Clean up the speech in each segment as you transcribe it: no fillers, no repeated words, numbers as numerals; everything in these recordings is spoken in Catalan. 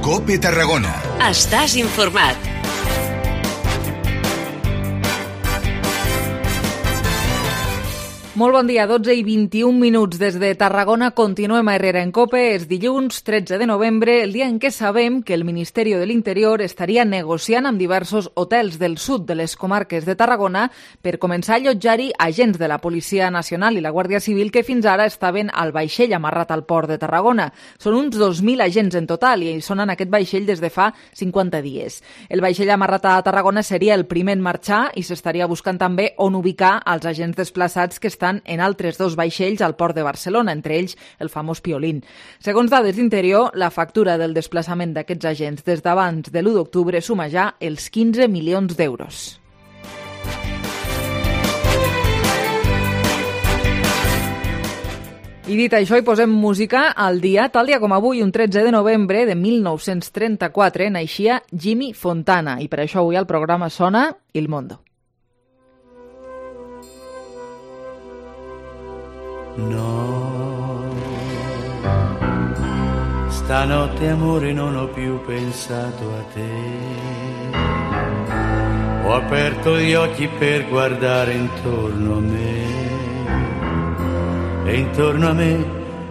COPE Tarragona. Estàs informat. Molt bon dia, 12 i 21 minuts des de Tarragona. Continuem a Herrera en COPE. És dilluns 13 de novembre, el dia en què sabem que el Ministeri de l'Interior estaria negociant amb diversos hotels del sud de les comarques de Tarragona per començar a allotjar-hi agents de la Policia Nacional i la Guàrdia Civil que fins ara estaven al vaixell amarrat al port de Tarragona. Són uns 2.000 agents en total i són en aquest vaixell des de fa 50 dies. El vaixell amarrat a Tarragona seria el primer en marxar i s'estaria buscant també on ubicar els agents desplaçats que estan en altres dos vaixells al port de Barcelona, entre ells el famós Piolín. Segons dades d'Interior, la factura del desplaçament d'aquests agents des d'abans de l'1 d'octubre suma ja els 15 milions d'euros. I dit això, hi posem música al dia. Tal dia com avui, un 13 de novembre de 1934, naixia Jimmy Fontana. I per això avui al programa sona Il Mondo. No, stanotte amore non ho più pensato a te. Ho aperto gli occhi per guardare intorno a me e intorno a me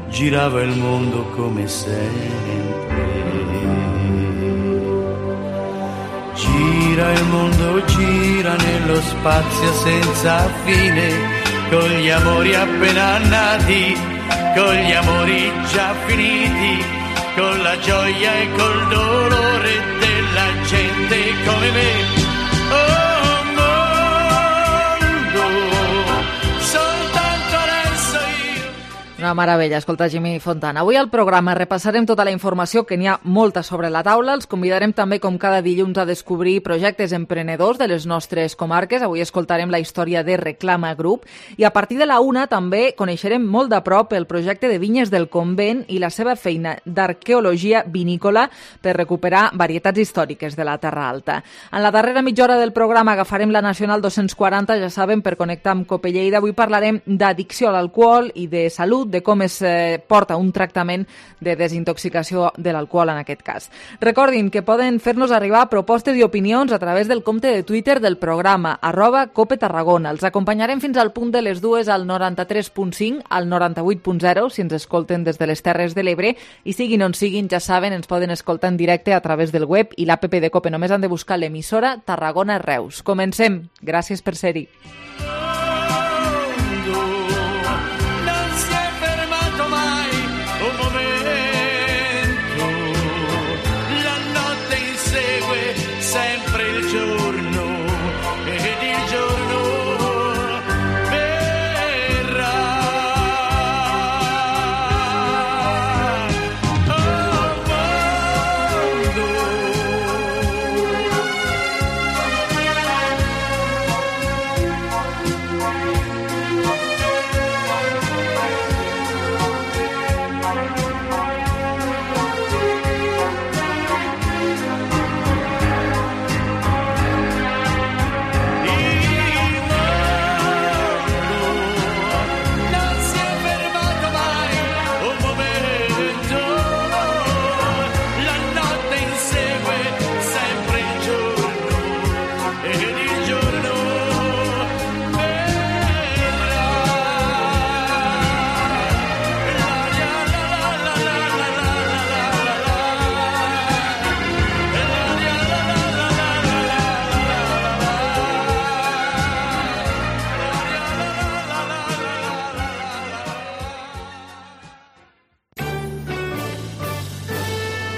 girava il mondo come sempre. Gira il mondo, gira nello spazio senza fine, con gli amori appena nati, con gli amori già finiti, con la gioia e col dolore della gente come me. Oh mondo, soltanto adesso io. Una meravella, escolta Jimmy Fontana. Avui al programa repassarem tota la informació, que n'hi ha molta sobre la taula. Els convidarem també, com cada dilluns, a descobrir projectes emprenedors de les nostres comarques. Avui escoltarem la història de Reclama Group i a partir de la 1 també coneixerem molt de prop el projecte de Vinyes del Convent i la seva feina d'arqueologia vinícola per recuperar varietats històriques de la Terra Alta. En la darrera mitja hora del programa agafarem la Nacional 240, ja saben, per connectar amb COPE Lleida. Avui parlarem d'addicció a l'alcohol i de salut, de com es porta un tractament de desintoxicació de l'alcohol en aquest cas. Recordin que poden fer-nos arribar propostes i opinions a través del compte de Twitter del programa, @COPE Tarragona. Els acompanyarem fins al punt de les 2 al 93.5, al 98.0, si ens escolten des de les Terres de l'Ebre, i siguin on siguin, ja saben, ens poden escoltar en directe a través del web i l'app de COPE. Només han de buscar l'emissora Tarragona Reus. Comencem. Gràcies per ser-hi.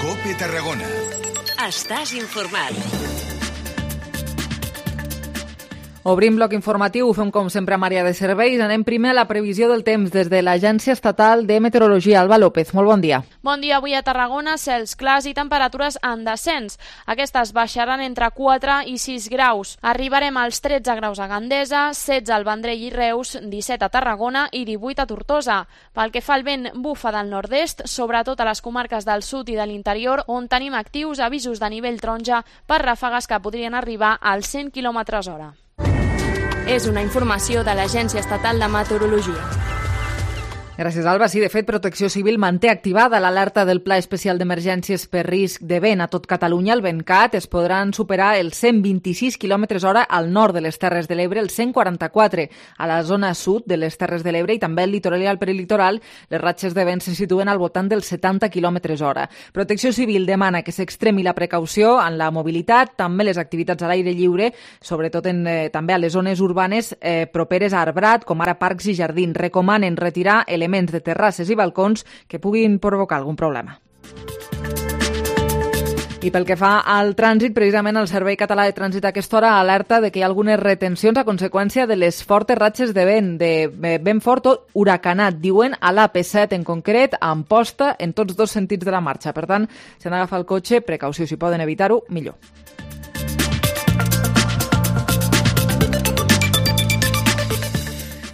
COPE Tarragona. Estàs informat. Obrim bloc informatiu, ho fem com sempre amb àrea de serveis. Anem primer a la previsió del temps des de l'Agència Estatal de Meteorologia. Alba López, molt bon dia. Bon dia. Avui a Tarragona, cels clars i temperatures en descens. Aquestes baixaran entre 4 i 6 graus. Arribarem als 13 graus a Gandesa, 16 al Vendrell i Reus, 17 a Tarragona i 18 a Tortosa. Pel que fa al vent, bufa del nord-est, sobretot a les comarques del sud i de l'interior, on tenim actius avisos de nivell taronja per ràfegues que podrien arribar als 100 km/h. És una informació de l'Agència Estatal de Meteorologia. Gràcies, Alba. Sí, de fet, Protecció Civil manté activada l'alerta del Pla Especial d'Emergències per risc de vent a tot Catalunya. El VentCat es podran superar els 126 km/h al nord de les Terres de l'Ebre, els 144 a la zona sud de les Terres de l'Ebre i també al litoral i al peritoral. Les ratxes de vent se situen al voltant dels 70 km/h. Protecció Civil demana que s'extremi la precaució en la mobilitat, també les activitats a l'aire lliure, sobretot també a les zones urbanes properes a arbrat, com ara parcs i jardins. Recomanen retirar elements de terrasses i balcons que puguin provocar algun problema. I pel que fa al trànsit, precisament el Servei Català de Trànsit a aquesta hora alerta de que hi ha algunes retencions a conseqüència de les fortes ratxes de vent fort o huracanat, diuen, a l'AP7 en concret, a Amposta, en tots dos sentits de la marxa. Per tant, si han d'agafar el cotxe, precaució, si poden evitar-ho, millor.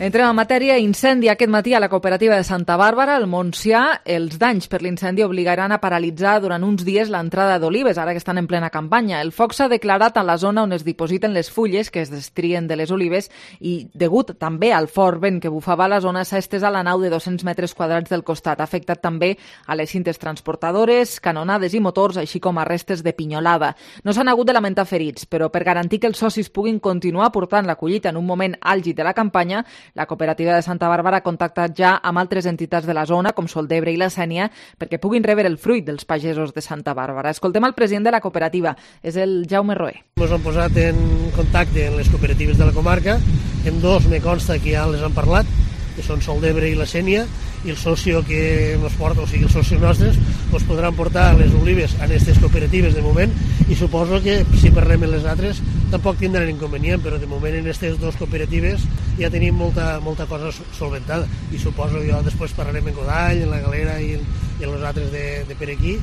Entrem en matèria. Incendi aquest matí a la cooperativa de Santa Bàrbara, al Montsià. Els danys per l'incendi obligaran a paralitzar durant uns dies l'entrada d'olives, ara que estan en plena campanya. El foc s'ha declarat a la zona on es dipositen les fulles que es destrien de les olives i, degut també al fort vent que bufava a la zona, s'ha estès a la nau de 200 metres quadrats del costat. Ha afectat també a les cintes transportadores, canonades i motors, així com a restes de pinyolada. No s'han hagut de lamentar ferits, però per garantir que els socis puguin continuar portant la collita en un moment àlgid de la campanya, la cooperativa de Santa Bàrbara ha contactat ja amb altres entitats de la zona, com Soldebre i la Sénia, perquè puguin rebre el fruit dels pagesos de Santa Bàrbara. Escoltem el president de la cooperativa, és el Jaume Roé. Ens han posat en contacte amb les cooperatives de la comarca, en dos me consta que ja les han parlat, que són Soldebre i la Sénia, i el socio que ens porta, o sigui, els socis nostres, ens podran portar les olives a aquestes cooperatives de moment, i suposo que si parlem amb les altres tampoc tindran inconvenient, però de moment en aquestes dues cooperatives ja tenim molta cosa solventada, i suposo jo després parlarem en Godall, en la Galera i en els altres de per aquí,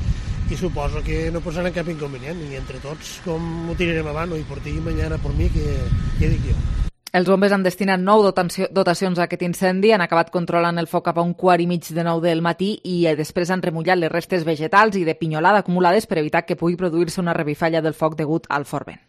i suposo que no posaran cap inconvenient, i entre tots com ho tirarem avant, i por ti i mañana por mi, que dic jo. Els bombers han destinat 9 dotacions a aquest incendi, han acabat controlant el foc cap a 8:15 del matí i després han remullat les restes vegetals i de pinyolada acumulades per evitar que pugui produir-se una revifalla del foc degut al fort vent.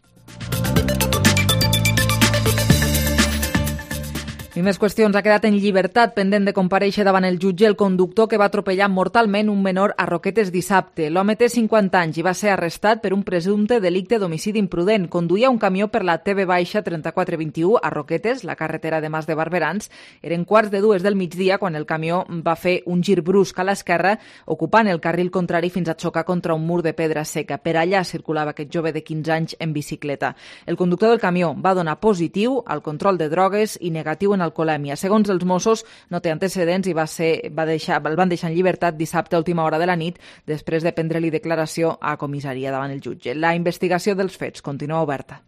I més qüestions. Ha quedat en llibertat pendent de comparèixer davant el jutge el conductor que va atropellar mortalment un menor a Roquetes dissabte. L'home té 50 anys i va ser arrestat per un presumpte delicte d'homicidi imprudent. Conduïa un camió per la TV-3421 a Roquetes, la carretera de Mas de Barberans. Eren 1:45 del migdia quan el camió va fer un gir brusc a l'esquerra, ocupant el carril contrari fins a xocar contra un mur de pedra seca. Per allà circulava aquest jove de 15 anys en bicicleta. El conductor del camió va donar positiu al control de drogues i negatiu en alcoholèmia. Segons els Mossos, no té antecedents i el van deixar en llibertat dissabte a última hora de la nit després de prendre-li declaració a comissaria davant el jutge. La investigació dels fets continua oberta.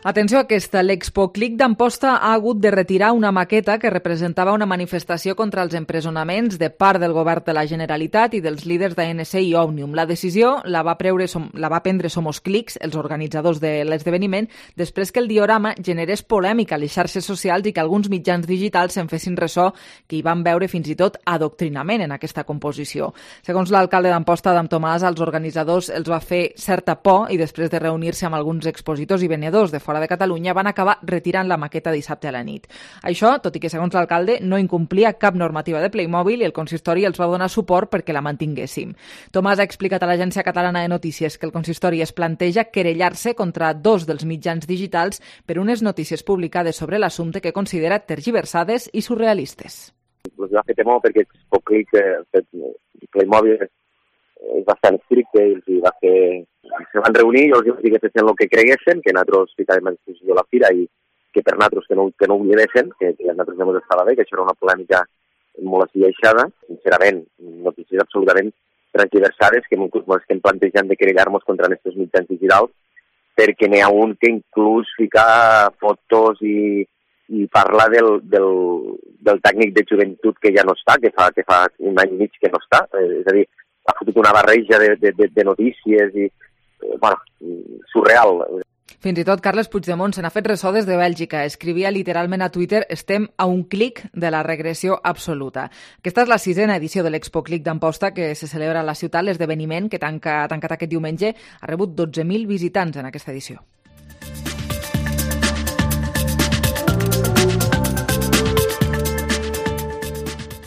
Atenció a aquesta, l'Expoclic d'Amposta ha hagut de retirar una maqueta que representava una manifestació contra els empresonaments de part del govern de la Generalitat i dels líders d'ANC i Òmnium. La decisió la va prendre Somos Clics, els organitzadors de l'esdeveniment, després que el diorama generés polèmica a les xarxes socials i que alguns mitjans digitals se'n fessin ressò que hi van veure fins i tot adoctrinament en aquesta composició. Segons l'alcalde d'Amposta, Adam Tomàs, als organitzadors els va fer certa por i després de reunir-se amb alguns expositors i venedors de fora de Catalunya van acabar retirant la maqueta dissabte a la nit. Això, tot i que segons l'alcalde no incomplia cap normativa de Playmobil i el consistori els va donar suport perquè la mantinguéssim. Tomàs ha explicat a l'Agència Catalana de Notícies que el consistori es planteja querellar-se contra 2 dels mitjans digitals per unes notícies publicades sobre l'assumpte que considera tergiversades i surrealistes. Pues va fer temor perquè Playmobil és bastant estricte i els va fer... Se van reunir i els vaig dir que fessin el que creguessin, que nosaltres ficàvem a disposició de la fira i que per nosaltres que no ho oblidessin, que a nosaltres no ens estava bé, que això era una polèmica molt esbiaixada. Sincerament, notícies absolutament transversades que estem plantejant de querellar-nos contra aquests mitjans digitals, perquè n'hi ha un que inclús fica fotos i parla del tècnic de joventut que ja no està, que fa un any i mig que no està, és a dir, ha fotut una barreja de notícies i, surreal. Fins i tot Carles Puigdemont se n'ha fet ressò des de Bèlgica. Escrivia literalment a Twitter: estem a un clic de la regressió absoluta. Aquesta és la 6ª edició de l'Expoclic d'Amposta que se celebra a la ciutat. L'esdeveniment, que ha tancat aquest diumenge, ha rebut 12.000 visitants en aquesta edició.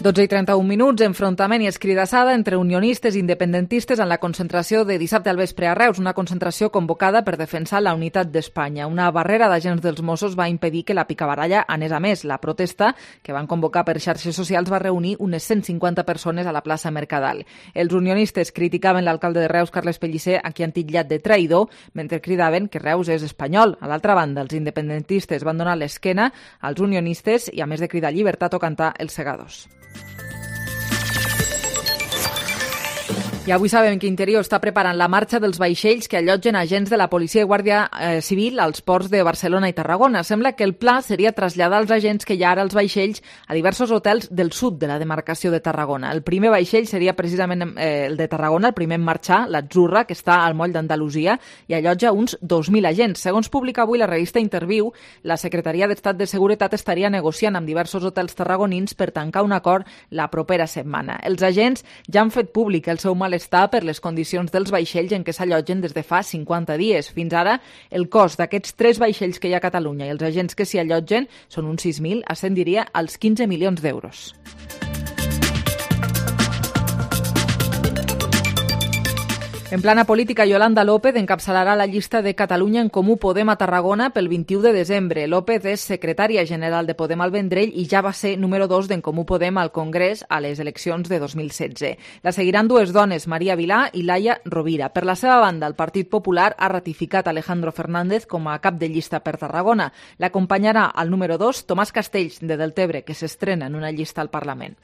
12:31, enfrontament i escridassada entre unionistes i independentistes en la concentració de dissabte al vespre a Reus, una concentració convocada per defensar la unitat d'Espanya. Una barrera d'agents dels Mossos va impedir que la picabaralla anés a més. La protesta, que van convocar per xarxes socials, va reunir unes 150 persones a la plaça Mercadal. Els unionistes criticaven l'alcalde de Reus, Carles Pellicer, a qui han titllat de traïdor, mentre cridaven que Reus és espanyol. A l'altra banda, els independentistes van donar l'esquena als unionistes i, a més de cridar llibertat o cantar els segadors. I avui sabem que Interior està preparant la marxa dels vaixells que allotgen agents de la Policia i Guàrdia Civil als ports de Barcelona i Tarragona. Sembla que el pla seria traslladar els agents que hi ha ara als vaixells a diversos hotels del sud de la demarcació de Tarragona. El primer vaixell seria precisament el de Tarragona, el primer en marxar, l'Atzurra, que està al moll d'Andalusia i allotja uns 2.000 agents. Segons publica avui la revista Interviu, la Secretaria d'Estat de Seguretat estaria negociant amb diversos hotels tarragonins per tancar un acord la propera setmana. Els agents ja han fet públic el seu malestar per les condicions dels vaixells en què s'allotgen des de fa 50 dies. Fins ara, el cost d'aquests 3 vaixells que hi ha a Catalunya i els agents que s'hi allotgen són uns 6.000, ascendiria als 15 milions d'euros. En plana política, Yolanda López encapçalarà la llista de Catalunya en Comú Podem a Tarragona pel 21 de desembre. López és secretària general de Podem al Vendrell i ja va ser número 2 d'en Comú Podem al Congrés a les eleccions de 2016. La seguiran 2 dones, Maria Vilà i Laia Rovira. Per la seva banda, el Partit Popular ha ratificat Alejandro Fernández com a cap de llista per Tarragona. L'acompanyarà al número 2 Tomàs Castells, de Deltebre, que s'estrena en una llista al Parlament.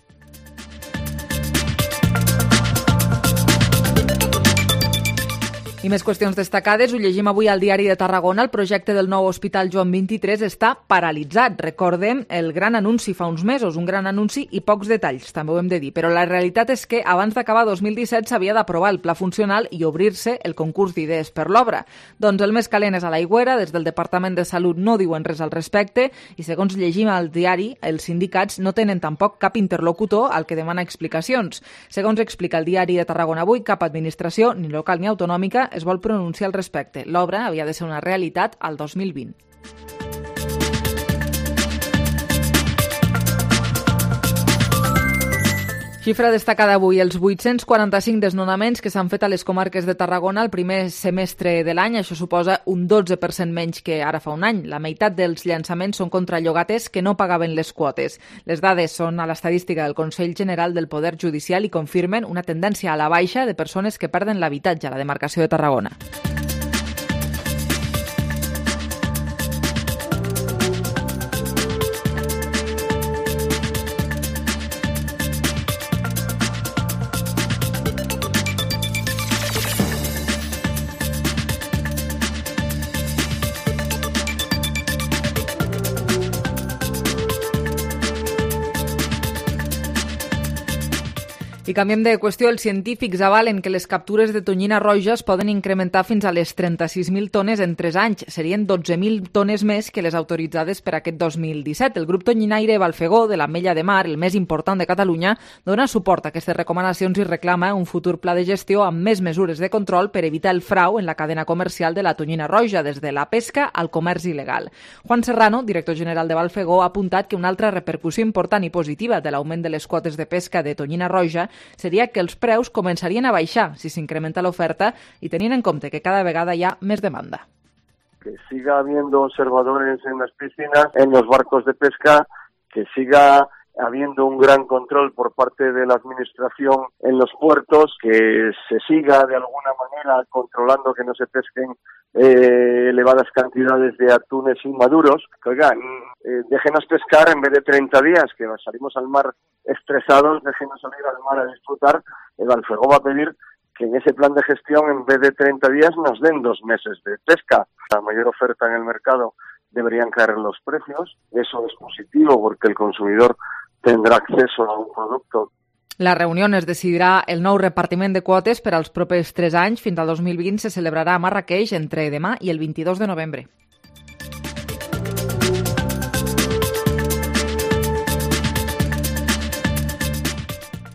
I més qüestions destacades, ho llegim avui al Diari de Tarragona. El projecte del nou Hospital Joan 23 està paralitzat. Recordem el gran anunci fa uns mesos, un gran anunci i pocs detalls, també ho hem de dir. Però la realitat és que abans d'acabar 2017 s'havia d'aprovar el pla funcional i obrir-se el concurs d'idees per l'obra. Doncs el més calent és a l'aigüera, des del Departament de Salut no diuen res al respecte i segons llegim al diari, els sindicats no tenen tampoc cap interlocutor al que demana explicacions. Segons explica el Diari de Tarragona avui, cap administració, ni local ni autonòmica, es vol pronunciar al respecte. L'obra havia de ser una realitat al 2020. Xifra destacada avui, els 845 desnonaments que s'han fet a les comarques de Tarragona el primer semestre de l'any. Això suposa un 12% menys que ara fa un any. La meitat dels llançaments són contra llogaters que no pagaven les quotes. Les dades són a l'estadística del Consell General del Poder Judicial i confirmen una tendència a la baixa de persones que perden l'habitatge a la demarcació de Tarragona. I canviem de qüestió. Els científics avalen que les captures de tonyina roja es poden incrementar fins a les 36.000 tones en 3 anys. Serien 12.000 tones més que les autoritzades per aquest 2017. El grup tonyinaire Balfegó, de l'Ametlla de Mar, el més important de Catalunya, dona suport a aquestes recomanacions i reclama un futur pla de gestió amb més mesures de control per evitar el frau en la cadena comercial de la tonyina roja, des de la pesca al comerç il·legal. Juan Serrano, director general de Balfegó, ha apuntat que una altra repercussió important i positiva de l'augment de les quotes de pesca de tonyina roja seria que els preus començarien a baixar si s'incrementa l'oferta i tenint en compte que cada vegada hi ha més demanda. Que siga habiendo observadores en las piscinas, en los barcos de pesca, que siga habiendo un gran control por parte de la administración en los puertos, que se siga de alguna manera controlando que no se pesquen elevadas cantidades de atunes inmaduros. Que, oigan, déjenos pescar en vez de 30 días, que salimos al mar estresados, déjenos salir al mar a disfrutar. El Balfegó va a pedir que en ese plan de gestión, en vez de 30 días, nos den 2 meses de pesca. La mayor oferta en el mercado deberían caer los precios. Eso es positivo porque el consumidor tendrà acceso a un producte. La reunió es decidirà el nou repartiment de quotes per als propers 3 anys. Fins al 2020 se celebrarà a Marràqueix entre demà i el 22 de novembre.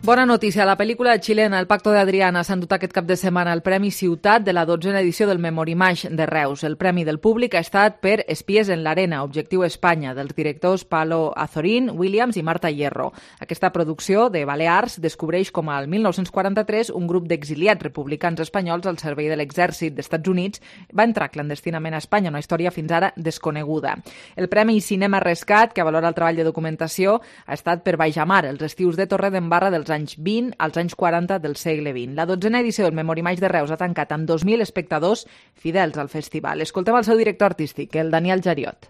Bona notícia, la pel·lícula xilena El pacto de Adriana s'ha endut aquest cap de setmana el Premi Ciutat de la 12a edició del Memorimage de Reus. El premi del públic ha estat per Espies en l'arena, Objectiu Espanya, dels directors Palo Azorín, Williams i Marta Hierro. Aquesta producció de Balears descobreix com al 1943 un grup d'exiliats republicans espanyols al servei de l'exèrcit d'Estats Units va entrar clandestinament a Espanya, una història fins ara desconeguda. El Premi Cinema Rescat, que valora el treball de documentació, ha estat per Baixamar, els estius de Torredembarra dels anys 20 als anys 40 del segle XX. La 12a edició del Memorimage de Reus ha tancat amb 2.000 espectadors fidels al festival. Escoltem el seu director artístic, el Daniel Jariot.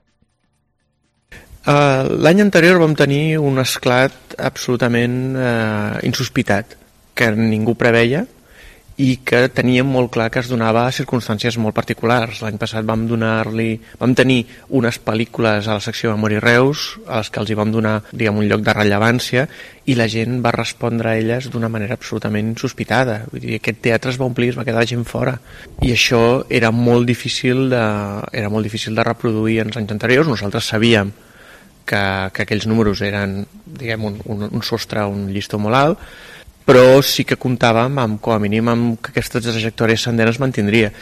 L'any anterior vam tenir un esclat absolutament insospitat, que ningú preveia i que teníem molt clar que es donava a circumstàncies molt particulars. L'any passat vam tenir unes pel·lícules a la secció Memori Reus a les que els hi vam donar, un lloc de rellevància, i la gent va respondre a elles d'una manera absolutament insospitada. Vull dir, aquest teatre es va omplir, es va quedar gent fora. I això era molt difícil de reproduir en els anys anteriors. Nosaltres sabíem que aquells números eren, un sostre, un llistó molt alt, però sí que comptàvem com a mínim amb que aquesta trajectòria ascendent es mantindria.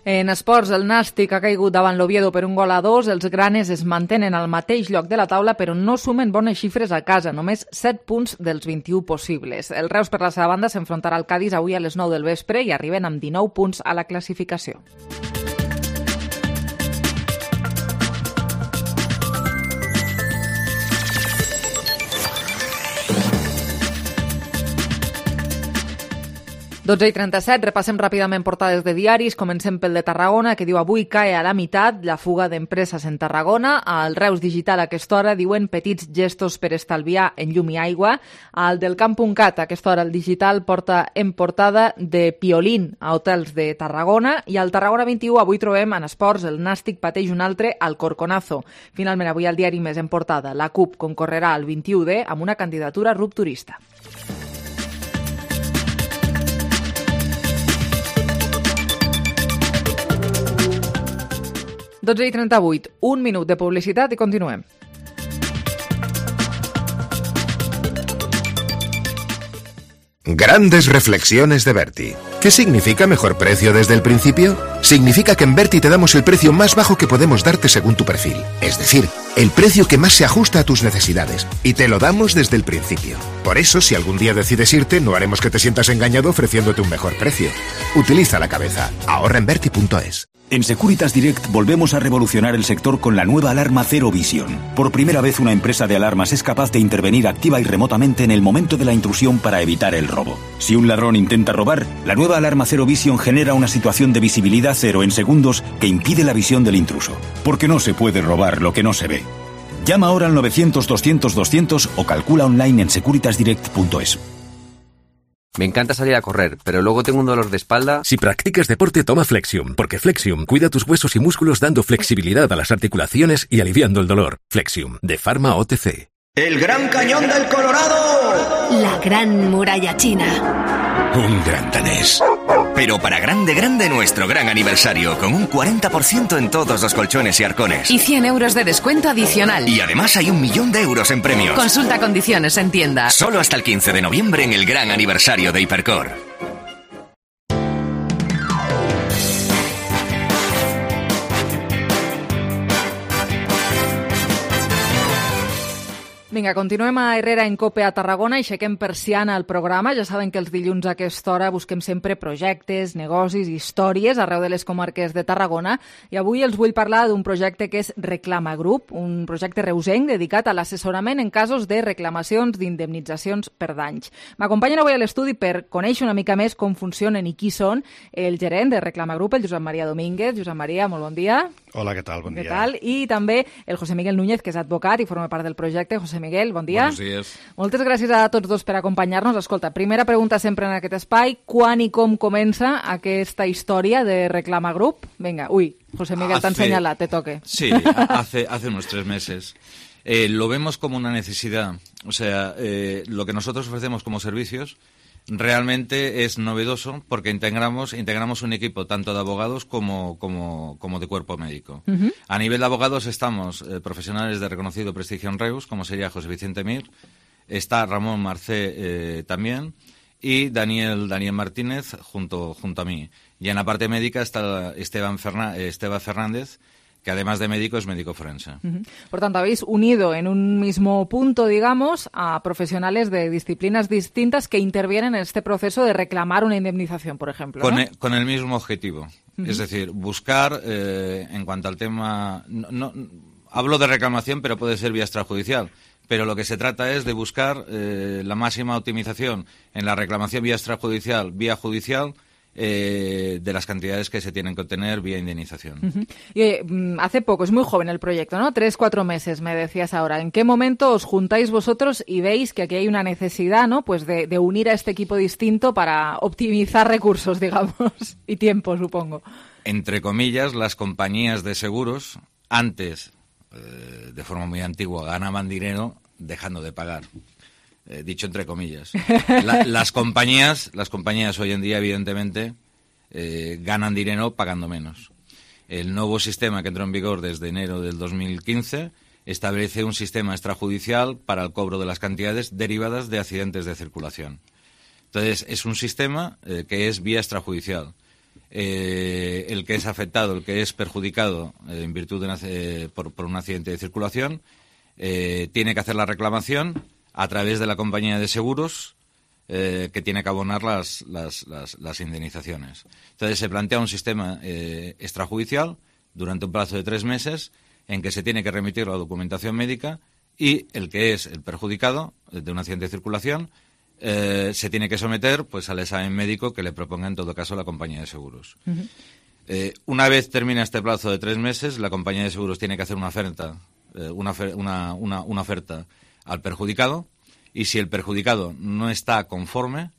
En esports, el Nàstic ha caigut davant l'Oviedo per 1-2. Els granes es mantenen al mateix lloc de la taula, però no sumen bones xifres a casa, només 7 punts dels 21 possibles. El Reus, per la seva banda, s'enfrontarà al Cádiz avui a les 9 del vespre i arriben amb 19 punts a la classificació. i 37, repassem ràpidament portades de diaris. Comencem pel de Tarragona, que diu avui cae a la meitat la fuga d'empreses en Tarragona. Al Reus Digital a aquesta hora diuen petits gestos per estalviar en llum i aigua. Al del Camp.cat a aquesta hora el Digital porta en portada de Piolín a hotels de Tarragona. I al Tarragona 21 avui trobem en esports el Nàstic pateix un altre al Corconazo. Finalment avui al diari Més en portada la CUP concorrerà al 21D amb una candidatura rupturista. i 38, un minut de publicitat i continuem. Grandes reflexiones de Berti. ¿Qué significa mejor precio desde el principio? Significa que en Berti te damos el precio más bajo que podemos darte según tu perfil. Es decir, el precio que más se ajusta a tus necesidades. Y te lo damos desde el principio. Por eso, si algún día decides irte, no haremos que te sientas engañado ofreciéndote un mejor precio. Utiliza la cabeza. Ahorra en Berti.es. En Securitas Direct volvemos a revolucionar el sector con la nueva alarma Cero Vision. Por primera vez una empresa de alarmas es capaz de intervenir activa y remotamente en el momento de la intrusión para evitar el robo. Si un ladrón intenta robar, la nueva alarma Cero Vision genera una situación de visibilidad cero en segundos que impide la visión del intruso. Porque no se puede robar lo que no se ve. Llama ahora al 900-200-200 o calcula online en securitasdirect.es. Me encanta salir a correr, pero luego tengo un dolor de espalda. Si practicas deporte, toma Flexium, porque Flexium cuida tus huesos y músculos dando flexibilidad a las articulaciones y aliviando el dolor. Flexium, de Pharma OTC. ¡El Gran Cañón del Colorado! La Gran Muralla China. Un gran danés. Pero para grande nuestro gran aniversario, con un 40% en todos los colchones y arcones. Y 100 euros de descuento adicional. Y además hay 1 millón de euros en premios. Consulta condiciones en tienda. Solo hasta el 15 de noviembre en el gran aniversario de Hipercor. Vinga, continuem a Herrera en Cope a Tarragona i aixequem persiana al programa. Ja saben que els dilluns a aquesta hora busquem sempre projectes, negocis, històries arreu de les comarques de Tarragona i avui els vull parlar d'un projecte que és Reclama Group, un projecte reusenc dedicat a l'assessorament en casos de reclamacions d'indemnitzacions per danys. M'acompanyen avui a l'estudi per conèixer una mica més com funcionen i qui són el gerent de Reclama Group, el Josep Maria Domínguez. Josep Maria, molt bon dia. Hola, què tal? Bon dia. Què tal? I també el José Miguel Núñez, que és advocat i forma part del projecte. José Miguel, bon dia. Buenos días. Moltes gràcies a tots dos per acompanyar-nos. Escolta, primera pregunta sempre en aquest espai. Quan i com comença aquesta història de Reclama Group? Vinga, José Miguel t'ha enseñado, te toque. Sí, hace unos 3 meses. Lo vemos como una necesidad. O sea, lo que nosotros ofrecemos como servicios realmente es novedoso porque integramos un equipo tanto de abogados como de cuerpo médico. A nivel de abogados estamos profesionales de reconocido prestigio en Reus, como sería José Vicente Mir, está Ramón Marcé también, y Daniel Martínez junto a mí. Y en la parte médica está Esteban Fernández, que además de médico es médico forense. Por tanto, habéis unido en un mismo punto, digamos, a profesionales de disciplinas distintas que intervienen en este proceso de reclamar una indemnización, por ejemplo, ¿no? Con el mismo objetivo. Es decir, buscar, en cuanto al tema... No, hablo de reclamación, pero puede ser vía extrajudicial. Pero lo que se trata es de buscar la máxima optimización en la reclamación vía extrajudicial, vía judicial, de las cantidades que se tienen que obtener vía indemnización. Y hace poco, es muy joven el proyecto, ¿no? 3-4 meses, me decías ahora. ¿En qué momento os juntáis vosotros y veis que aquí hay una necesidad, ¿no? Pues de unir a este equipo distinto para optimizar recursos, digamos, y tiempo, supongo? Entre comillas, las compañías de seguros antes, de forma muy antigua, ganaban dinero dejando de pagar. Dicho entre comillas. Las compañías hoy en día, evidentemente, ganan dinero pagando menos. El nuevo sistema que entró en vigor desde enero del 2015 establece un sistema extrajudicial para el cobro de las cantidades derivadas de accidentes de circulación. Entonces, es un sistema que es vía extrajudicial. El que es afectado, el que es perjudicado en virtud de por un accidente de circulación, tiene que hacer la reclamación a través de la compañía de seguros que tiene que abonar las indemnizaciones. Entonces se plantea un sistema extrajudicial durante un plazo de 3 meses en que se tiene que remitir la documentación médica y el que es el perjudicado de un accidente de circulación se tiene que someter pues al examen médico que le proponga en todo caso la compañía de seguros. Una vez termina este plazo de 3 meses, la compañía de seguros tiene que hacer una oferta al perjudicado, y si el perjudicado no está conforme,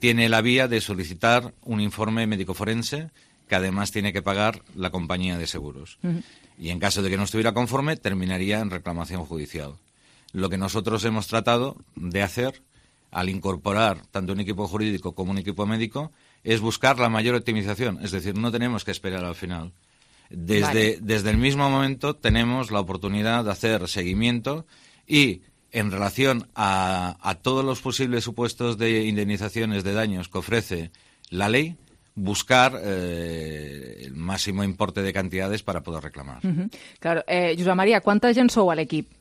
tiene la vía de solicitar un informe médico forense que además tiene que pagar la compañía de seguros. Y en caso de que no estuviera conforme, terminaría en reclamación judicial. Lo que nosotros hemos tratado de hacer al incorporar tanto un equipo jurídico como un equipo médico es buscar la mayor optimización, es decir, no tenemos que esperar al final. Desde el mismo momento tenemos la oportunidad de hacer seguimiento y en relación a todos los posibles supuestos de indemnizaciones de daños que ofrece la ley, buscar el máximo importe de cantidades para poder reclamar. Claro. Josep Maria, quanta gent sou a l'equip?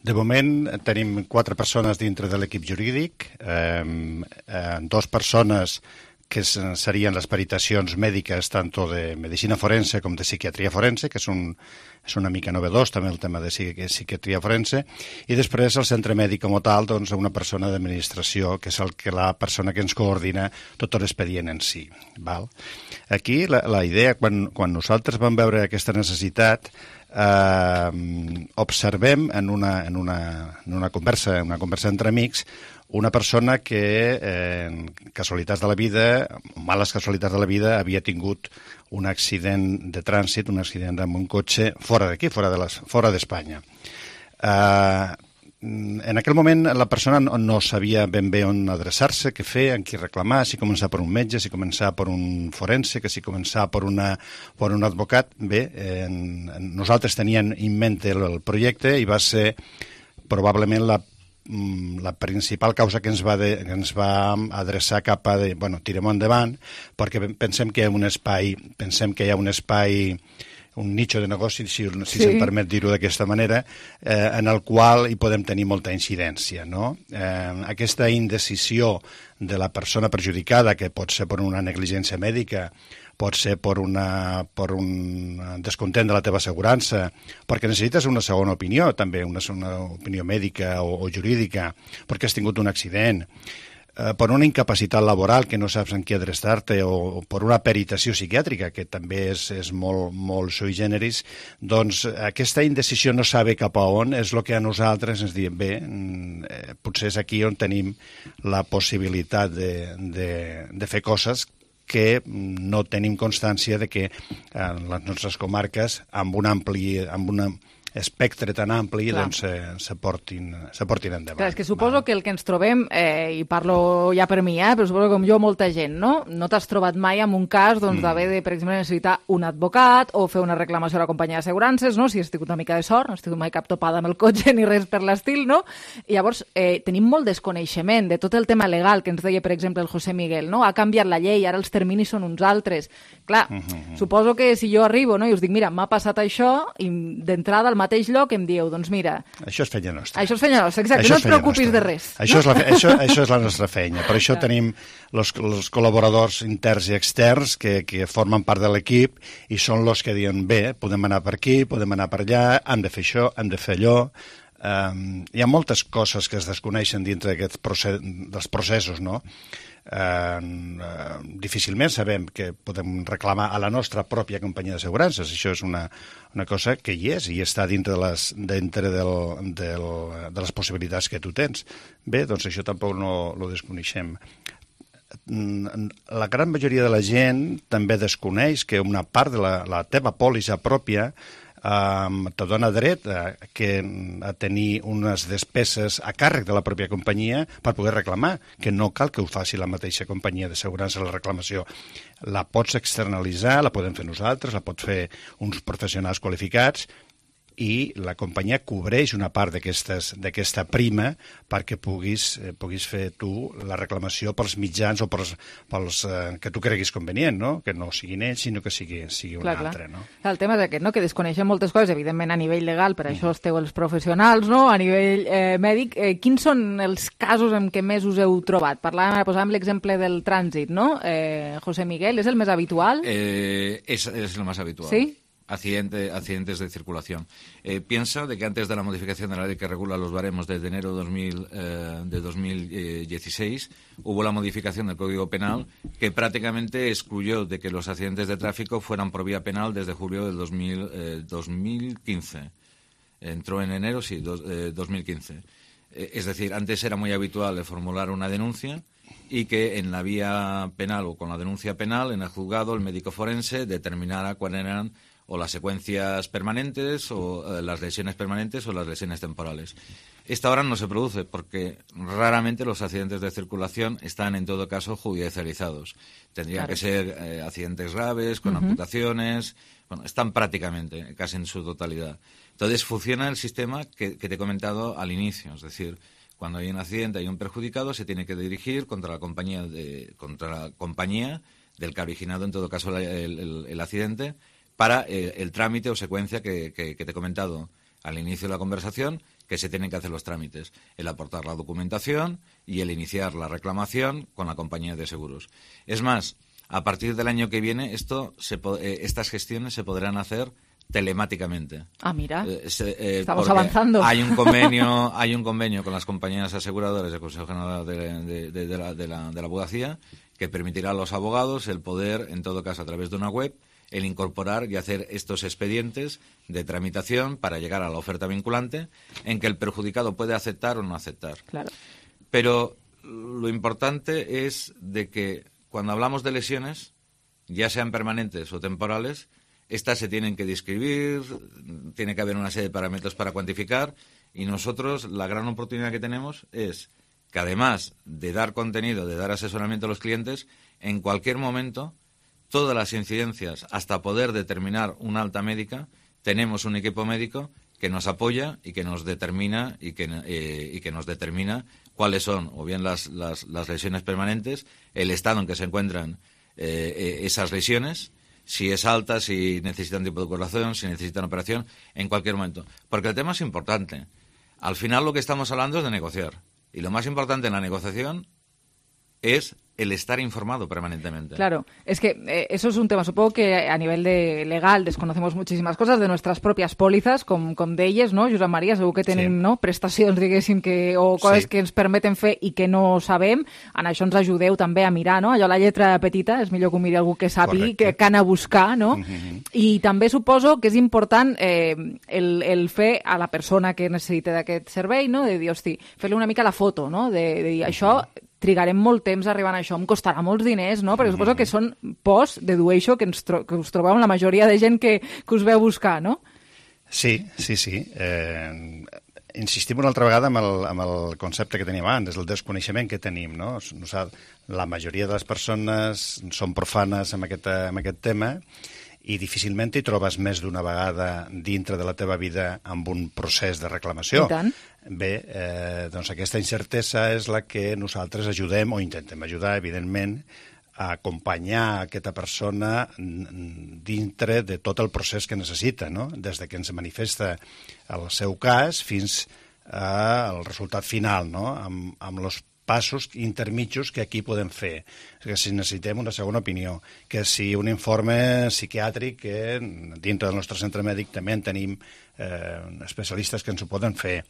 De moment tenim 4 persones dintre de l'equip jurídic, 2 persones que serien les peritacions mèdiques tant de medicina forense com de psiquiatria forense, que és una mica novedós també el tema de psiquiatria forense, i després el centre mèdic com a tal, doncs una persona d'administració, que és la persona que ens coordina tot l'expedient en si. Val? Aquí la idea, quan nosaltres vam veure aquesta necessitat, observem en una conversa entre amics una persona que, en casualitats de la vida, males casualitats de la vida, havia tingut un accident de trànsit, un accident amb un cotxe fora d'aquí, fora d'Espanya. En aquell moment la persona no sabia ben bé on adreçar-se, què fer, en qui reclamar, si començar per un metge, si començar per un forense, que si començar per un advocat. Bé, nosaltres teníem en mente el projecte i va ser probablement la principal causa que ens va adreçar cap a tirem endavant, perquè pensem que hi ha un espai, un nicho de negoci, si se'm permet dir-ho d'aquesta manera, en el qual hi podem tenir molta incidència. Aquesta indecisió de la persona perjudicada, que pot ser per una negligència mèdica, pot ser per un descontent de la teva assegurança, perquè necessites una segona opinió, també una opinió mèdica o jurídica, perquè has tingut un accident, per una incapacitat laboral que no saps en què adreçar-te, o per una peritació psiquiàtrica, que també és molt sui generis, doncs aquesta indecisió no saber cap a on és el que a nosaltres ens diem, bé, potser és aquí on tenim la possibilitat de fer coses que no tenim constància de que en les nostres comarques, amb un espectre tan ampli doncs se portin endavant. Clar, és que suposo que el que ens trobem, i parlo ja per mi, però suposo que com jo molta gent, no t'has trobat mai en un cas d'haver de, per exemple, necessitar un advocat o fer una reclamació a la companyia d'assegurances, no? Si has tingut una mica de sort, no has tingut mai cap topada amb el cotxe ni res per l'estil, no? I llavors tenim molt desconeixement de tot el tema legal que ens deia, per exemple, el José Miguel, no? Ha canviat la llei, ara els terminis són uns altres. Clar, suposo que si jo arribo, no, i us dic, mira, m'ha passat això, i d'entrada al mateix lloc em dieu, doncs mira... Això és feina nostra. Això és feina nostra, exacte, no et preocupis de res. Això és la nostra feina. Per això tenim els col·laboradors interns i externs que formen part de l'equip i són els que diuen, bé, podem anar per aquí, podem anar per allà, hem de fer això, hem de fer allò... Hi ha moltes coses que es desconeixen dintre dels processos, no? Difícilment sabem que podem reclamar a la nostra pròpia companyia d'assegurances. Això és una cosa que hi és i està dintre de les possibilitats que tu tens. Bé, doncs això tampoc no ho desconeixem. La gran majoria de la gent també desconeix que una part de la teva pòlissa pròpia te dona dret a tenir unes despeses a càrrec de la pròpia companyia per poder reclamar, que no cal que ho faci la mateixa companyia d'assegurança la reclamació. La pots externalitzar, la podem fer nosaltres, la pot fer uns professionals qualificats i la companyia cobreix una part d'aquesta prima perquè puguis fer tu la reclamació pels mitjans o pels que tu creguis convenient, no? Que no siguin ells, sinó que sigui un altre. No? El tema és aquest, no? Que desconeixem moltes coses, evidentment a nivell legal, per això esteu els professionals, no? A nivell mèdic. Quins són els casos en què més us heu trobat? Posàvem l'exemple del trànsit, no? José Miguel, ¿es el més habitual? Es el más habitual. ¿Sí? Accidentes de circulación. Piensa de que antes de la modificación de la ley que regula los baremos desde enero de 2016 hubo la modificación del Código Penal que prácticamente excluyó de que los accidentes de tráfico fueran por vía penal desde julio del 2015. Entró en enero, sí, 2015. Es decir, antes era muy habitual formular una denuncia y que en la vía penal o con la denuncia penal en el juzgado el médico forense determinara cuáles eran o las secuencias permanentes o las lesiones permanentes o las lesiones temporales. Esta ahora no se produce porque raramente los accidentes de circulación están en todo caso judicializados. Tendrían que ser accidentes graves, con amputaciones, bueno, están prácticamente, casi en su totalidad. Entonces funciona el sistema que te he comentado al inicio, es decir, cuando hay un accidente, hay un perjudicado, se tiene que dirigir contra la compañía del que ha originado en todo caso el accidente para el trámite o secuencia que te he comentado al inicio de la conversación, que se tienen que hacer los trámites, el aportar la documentación y el iniciar la reclamación con la compañía de seguros. Es más, a partir del año que viene estas gestiones se podrán hacer telemáticamente. Ah, mira, estamos avanzando. Hay un convenio con las compañías aseguradoras del Consejo General de la Abogacía que permitirá a los abogados el poder, en todo caso a través de una web, el incorporar y hacer estos expedientes de tramitación para llegar a la oferta vinculante en que el perjudicado puede aceptar o no aceptar. Claro. Pero lo importante es de que cuando hablamos de lesiones, ya sean permanentes o temporales, estas se tienen que describir, tiene que haber una serie de parámetros para cuantificar y nosotros la gran oportunidad que tenemos es que además de dar contenido, de dar asesoramiento a los clientes, en cualquier momento todas las incidencias hasta poder determinar una alta médica, tenemos un equipo médico que nos apoya y que nos determina y que nos determina cuáles son o bien las lesiones permanentes, el estado en que se encuentran esas lesiones, si es alta, si necesitan tipo de curación, si necesitan operación, en cualquier momento. Porque el tema es importante. Al final lo que estamos hablando es de negociar. Y lo más importante en la negociación es el estar informado permanentemente. Claro, es que eso es un tema. Supongo que a nivel legal desconocemos muchísimas cosas de nuestras propias pòlisses, com d'elles, no, Josep Maria? Segur que tenim prestacions, diguéssim, o coses que ens permeten fer i que no sabem. En això ens ajudeu també a mirar, no? Allò, la lletra petita, és millor que ho miri algú que sàpiga, que anar a buscar, no? I també suposo que és important el fer a la persona que necessita d'aquest servei, no? De dir, hosti, fer-li una mica la foto, no? De dir, això trigarem molt temps arribant a això, em costarà molts diners, no? Perquè suposo que són pors, dedueixo, que us trobeu amb la majoria de gent que us veu buscar, no? Sí. Insistim una altra vegada amb el concepte que teníem abans, el desconeixement que tenim, no? La majoria de les persones són profanes amb aquest tema i difícilment hi trobes més d'una vegada dintre de la teva vida amb un procés de reclamació. I tant. Bé, doncs aquesta incertesa és la que nosaltres ajudem o intentem ajudar, evidentment, a acompanyar aquesta persona dintre de tot el procés que necessita, no? Des de que ens manifesta el seu cas fins al resultat final, no? Amb els passos intermitjos que aquí podem fer. Que si necessitem una segona opinió, que si un informe psiquiàtric, que dintre del nostre centre mèdic també en tenim especialistes que ens ho poden fer.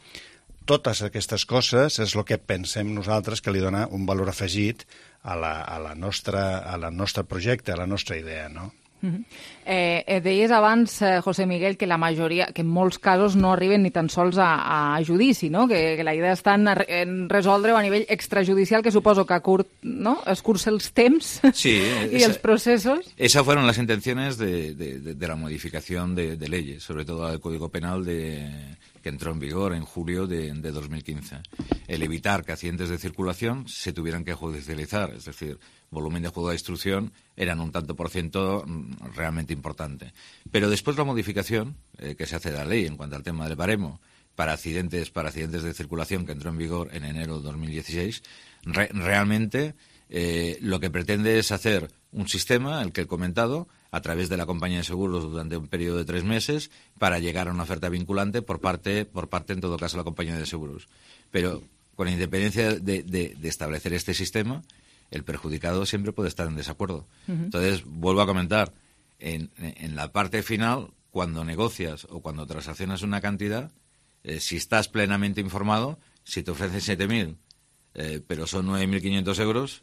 Totes aquestes coses és el que pensem nosaltres que li dona un valor afegit a la nostre projecte, a la nostra idea, no? Deies abans, José Miguel, que la majoria, que en molts casos no arriben ni tan sols a judici, no? Que la idea està en resoldre-ho a nivell extrajudicial, que suposo que escurça els temps y els processos. Esas fueron las intenciones de la modificación de leyes, sobre todo del Código Penal que entró en vigor en julio de 2015. El evitar que accidentes de circulación se tuvieran que judicializar, es decir, volumen de juzgado de instrucción eran un tanto por ciento realmente importante. Pero después la modificación que se hace de la ley en cuanto al tema del baremo para accidentes de circulación que entró en vigor en enero de 2016, realmente lo que pretende es hacer un sistema, el que he comentado, a través de la compañía de seguros durante un periodo de 3 meses para llegar a una oferta vinculante por parte en todo caso, de la compañía de seguros. Pero con independencia de establecer este sistema, el perjudicado siempre puede estar en desacuerdo. Entonces, vuelvo a comentar, en la parte final, cuando negocias o cuando transaccionas una cantidad, si estás plenamente informado, si te ofrecen 7.000, pero son 9.500 euros,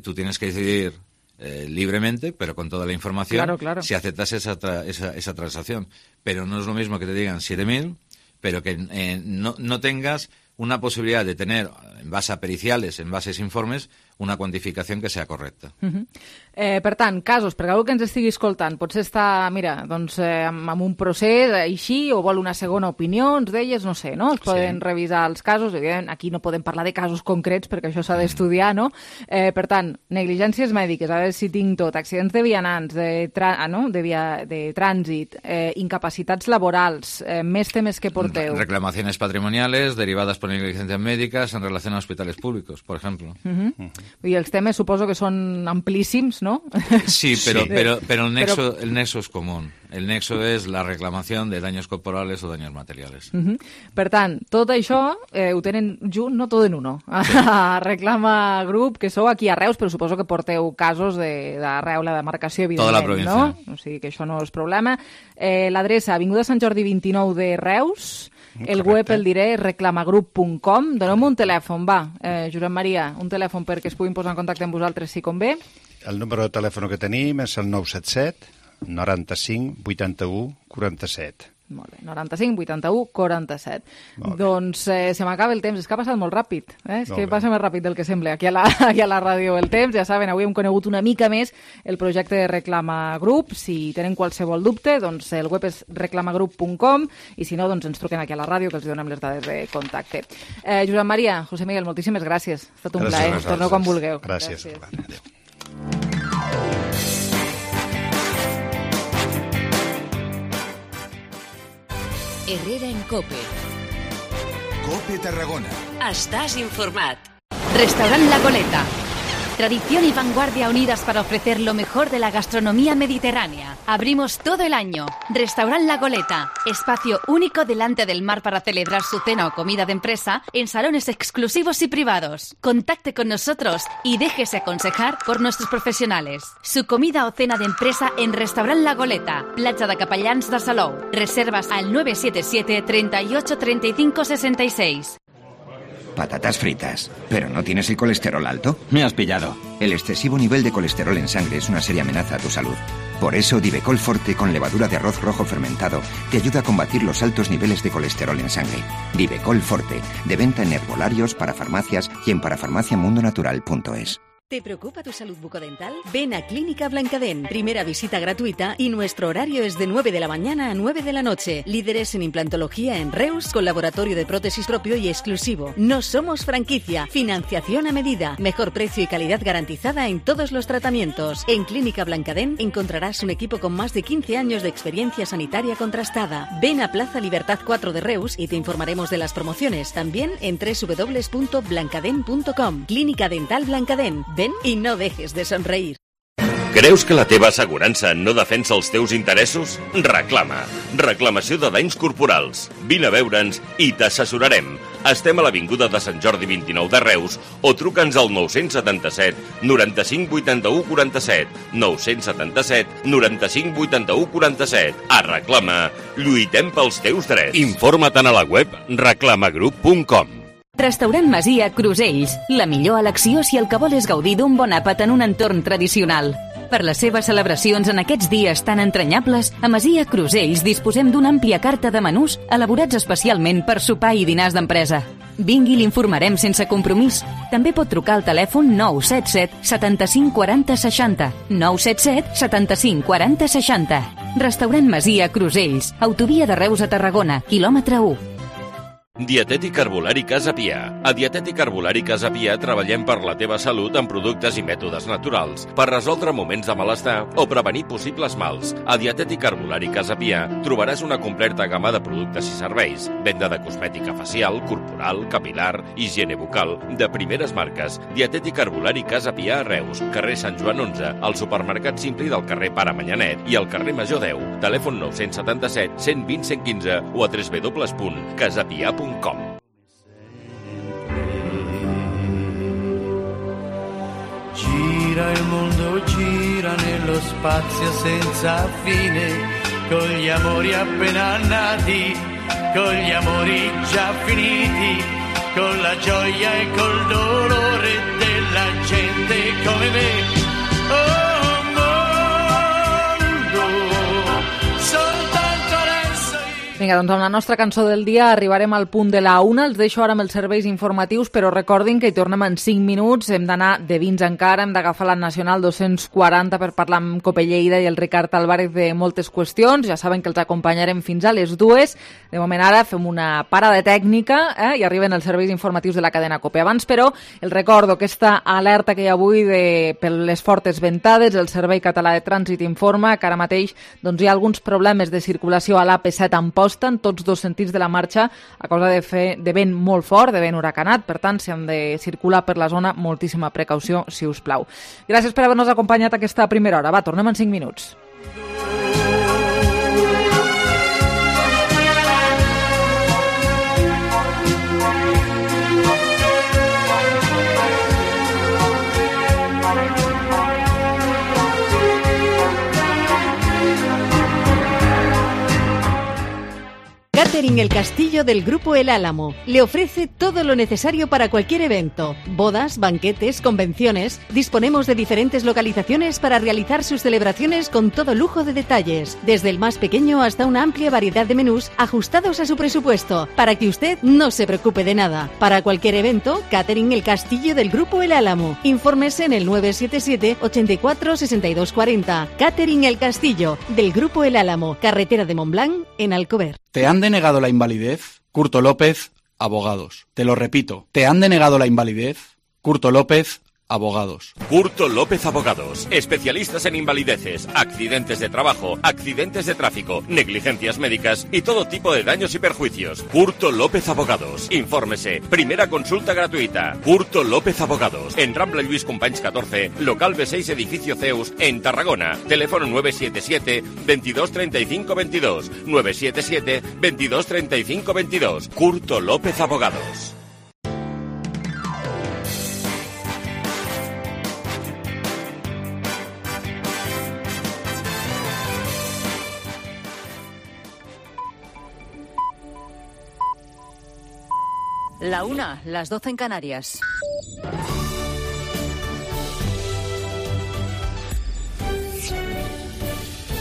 tú tienes que decidir libremente, pero con toda la información, claro. Si aceptas esa transacción. Pero no es lo mismo que te digan 7.000, pero que no tengas una posibilidad de tener, en base a periciales, en base a informes, una quantificació que sea correcta. Per tant, casos, perquè algú que ens estigui escoltant potser està, amb un procés així, o vol una segona opinió, ens deies, no sé, no? Es poden revisar els casos, evidentment, aquí no podem parlar de casos concrets perquè això s'ha d'estudiar, no? Per tant, negligències mèdiques, a veure si tinc tot, accidents de vianants, de trànsit, incapacitats laborals, més temes que porteu. Reclamaciones patrimoniales derivadas por negligencias médicas en relación a hospitales públicos, por ejemplo. I els temes suposo que són amplíssims, ¿no? Sí, pero el nexo es común. El nexo es la reclamación de daños corporales o daños materiales. Per tant, tot això ho tenen junt, no tot en uno. Reclama Group, que sou aquí a Reus, però suposo que porteu casos d'arreu la demarcació, evidentment, tota la província, no? O sigui que això no és problema. L'adreça, Avinguda Sant Jordi 29 de Reus. El web el diré, reclamagroup.com. Donem un telèfon, va, Josep Maria, un telèfon perquè es puguin posar en contacte amb vosaltres si convé. El número de telèfon que tenim és el 977 95 81 47. Molt bé, 95 81 47. Doncs se m'acaba el temps, és que ha passat molt ràpid, és que passa més ràpid del que sembla aquí a la ràdio el temps. Ja saben, avui hem conegut una mica més el projecte de Reclama Group. Si tenen qualsevol dubte, doncs el web és reclamagroup.com i si no, doncs ens truquen aquí a la ràdio que els donem les dades de contacte. Josep Maria, José Miguel, moltíssimes gràcies. Ha estat un plaer. Torneu quan vulgueu. Gràcies. Herrera en COPE. COPE Tarragona. Estàs informat. Restaurant La Goleta. Tradición y vanguardia unidas para ofrecer lo mejor de la gastronomía mediterránea. Abrimos todo el año. Restaurant La Goleta. Espacio único delante del mar para celebrar su cena o comida de empresa en salones exclusivos y privados. Contacte con nosotros y déjese aconsejar por nuestros profesionales. Su comida o cena de empresa en Restaurant La Goleta. Platja de Capellans de Salou. Reservas al 977 38 35 66. Patatas fritas. ¿Pero no tienes el colesterol alto? Me has pillado. El excesivo nivel de colesterol en sangre es una seria amenaza a tu salud. Por eso, Divecol Forte con levadura de arroz rojo fermentado te ayuda a combatir los altos niveles de colesterol en sangre. Divecol Forte, de venta en herbolarios, para farmacias y en parafarmaciamundonatural.es. ¿Te preocupa tu salud bucodental? Ven a Clínica Blancadent. Primera visita gratuita y nuestro horario es de 9 de la mañana a 9 de la noche. Líderes en implantología en Reus, con laboratorio de prótesis propio y exclusivo. No somos franquicia. Financiación a medida. Mejor precio y calidad garantizada en todos los tratamientos. En Clínica Blancadent encontrarás un equipo con más de 15 años de experiencia sanitaria contrastada. Ven a Plaza Libertad 4 de Reus y te informaremos de las promociones. También en www.blancadent.com. Clínica Dental Blancadent. Ven i no dejes de somreir. Creus que la teva assegurança no defensa els teus interessos? Reclama. Reclamació de danys corporals. Vine a veure'ns i t'assessorarem. Estem a l'Avinguda de Sant Jordi 29 de Reus o truca'ns al 977 95 81 47. 977 95 81 47. A Reclama. Lluitem pels teus drets. Informa't a la web reclamagroup.com. Restaurant Masia Crusells. La millor elecció si el que vol és gaudir d'un bon àpat en un entorn tradicional. Per les seves celebracions en aquests dies tan entranyables, a Masia Crusells disposem d'una àmplia carta de menús elaborats especialment per sopar i dinars d'empresa. Vingui i l'informarem sense compromís. També pot trucar al telèfon 977 75 40 60. 977 75 40 60. Restaurant Masia Crusells. Autovia de Reus a Tarragona, quilòmetre 1. Dietètic Herbolari Casa Pia. A Dietètic Herbolari Casa Pia treballem per la teva salut amb productes i mètodes naturals, per resoldre moments de malestar o prevenir possibles mals. A Dietètic Herbolari Casa Pia trobaràs una completa gamma de productes i serveis, venda de cosmètica facial, corporal, capilar, higiene bucal, de primeres marques. Dietètic Herbolari Casa Pia a Reus, carrer Sant Joan 11, al supermercat Simpli del carrer Pare Manyanet i al carrer Major 10. Telèfon 977 120 115 o a www.casapia.com. Gira il mondo, gira nello spazio senza fine, con gli amori appena nati, con gli amori già finiti, con la gioia e col dolore della gente come me. Oh mondo, soltanto adesso. Vinga, doncs amb la nostra cançó del dia arribarem al punt de la 1. Els deixo ara amb els serveis informatius, però recordin que hi tornem en 5 minuts. Hem d'anar de vins encara, hem d'agafar la Nacional 240 per parlar amb Cope Lleida i el Ricard Álvarez de moltes qüestions. Ja saben que els acompanyarem fins a les 2. De moment ara fem una parada tècnica i arriben els serveis informatius de la cadena Cope. Abans, però, el recordo aquesta alerta que hi ha avui per les fortes ventades. El Servei Català de Trànsit informa que ara mateix hi ha alguns problemes de circulació a l'AP7 Amposta en tots dos sentits de la marxa a causa de vent molt fort, de vent huracanat. Per tant, si han de circular per la zona, moltíssima precaució, si us plau. Gràcies per haver-nos acompanyat aquesta primera hora. Va, tornem en 5 minuts. Catering El Castillo del Grupo El Álamo le ofrece todo lo necesario para cualquier evento, bodas, banquetes, convenciones. Disponemos de diferentes localizaciones para realizar sus celebraciones con todo lujo de detalles, desde el más pequeño hasta una amplia variedad de menús ajustados a su presupuesto, para que usted no se preocupe de nada. Para cualquier evento, Catering El Castillo del Grupo El Álamo. Infórmese en el 977 84 62 40. Catering El Castillo del Grupo El Álamo, carretera de Montblanc, en Alcover. ¿Te han denegado la invalidez? Curto López, abogados. Te lo repito, ¿te han denegado la invalidez? Curto López, abogados. Curto López Abogados, especialistas en invalideces, accidentes de trabajo, accidentes de tráfico, negligencias médicas y todo tipo de daños y perjuicios. Curto López Abogados. Infórmese. Primera consulta gratuita. Curto López Abogados. En Rambla Lluís Companys 14, local B6, edificio Zeus, en Tarragona. Teléfono 977 22 35 22. 977 22 35 22. Curto López Abogados. La 1, las 12 en Canarias.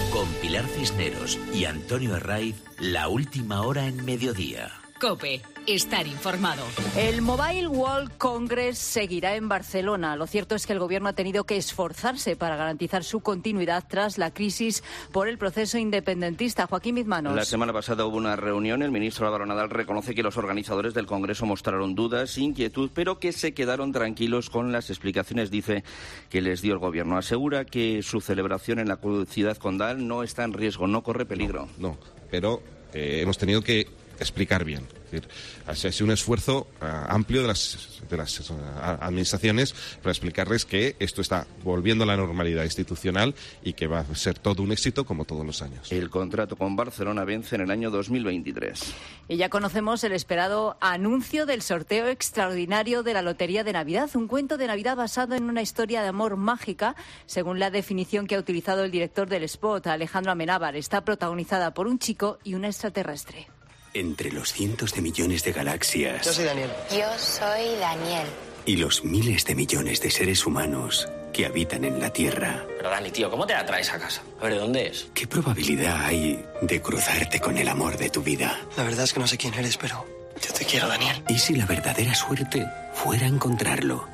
Con Pilar Cisneros y Antonio Herraiz, la última hora en mediodía. COPE. Estar informado. El Mobile World Congress seguirá en Barcelona. Lo cierto es que el gobierno ha tenido que esforzarse para garantizar su continuidad tras la crisis por el proceso independentista. Joaquín Bizmanos. La semana pasada hubo una reunión. El ministro Álvaro Nadal reconoce que los organizadores del Congreso mostraron dudas, inquietud, pero que se quedaron tranquilos con las explicaciones, dice, que les dio el gobierno. Asegura que su celebración en la ciudad condal no está en riesgo, no corre peligro. No, pero hemos tenido que explicar bien. Es decir, ha sido un esfuerzo amplio de las administraciones para explicarles que esto está volviendo a la normalidad institucional y que va a ser todo un éxito como todos los años. El contrato con Barcelona vence en el año 2023. Y ya conocemos el esperado anuncio del sorteo extraordinario de la Lotería de Navidad, un cuento de Navidad basado en una historia de amor mágica, según la definición que ha utilizado el director del spot, Alejandro Amenábar. Está protagonizada por un chico y una extraterrestre. Entre los cientos de millones de galaxias. Yo soy Daniel. Yo soy Daniel. Y los miles de millones de seres humanos que habitan en la Tierra. Pero Dani, tío, ¿cómo te la traes a casa? A ver, ¿de dónde es? ¿Qué probabilidad hay de cruzarte con el amor de tu vida? La verdad es que no sé quién eres, pero yo te quiero, Daniel. ¿Y si la verdadera suerte fuera encontrarlo?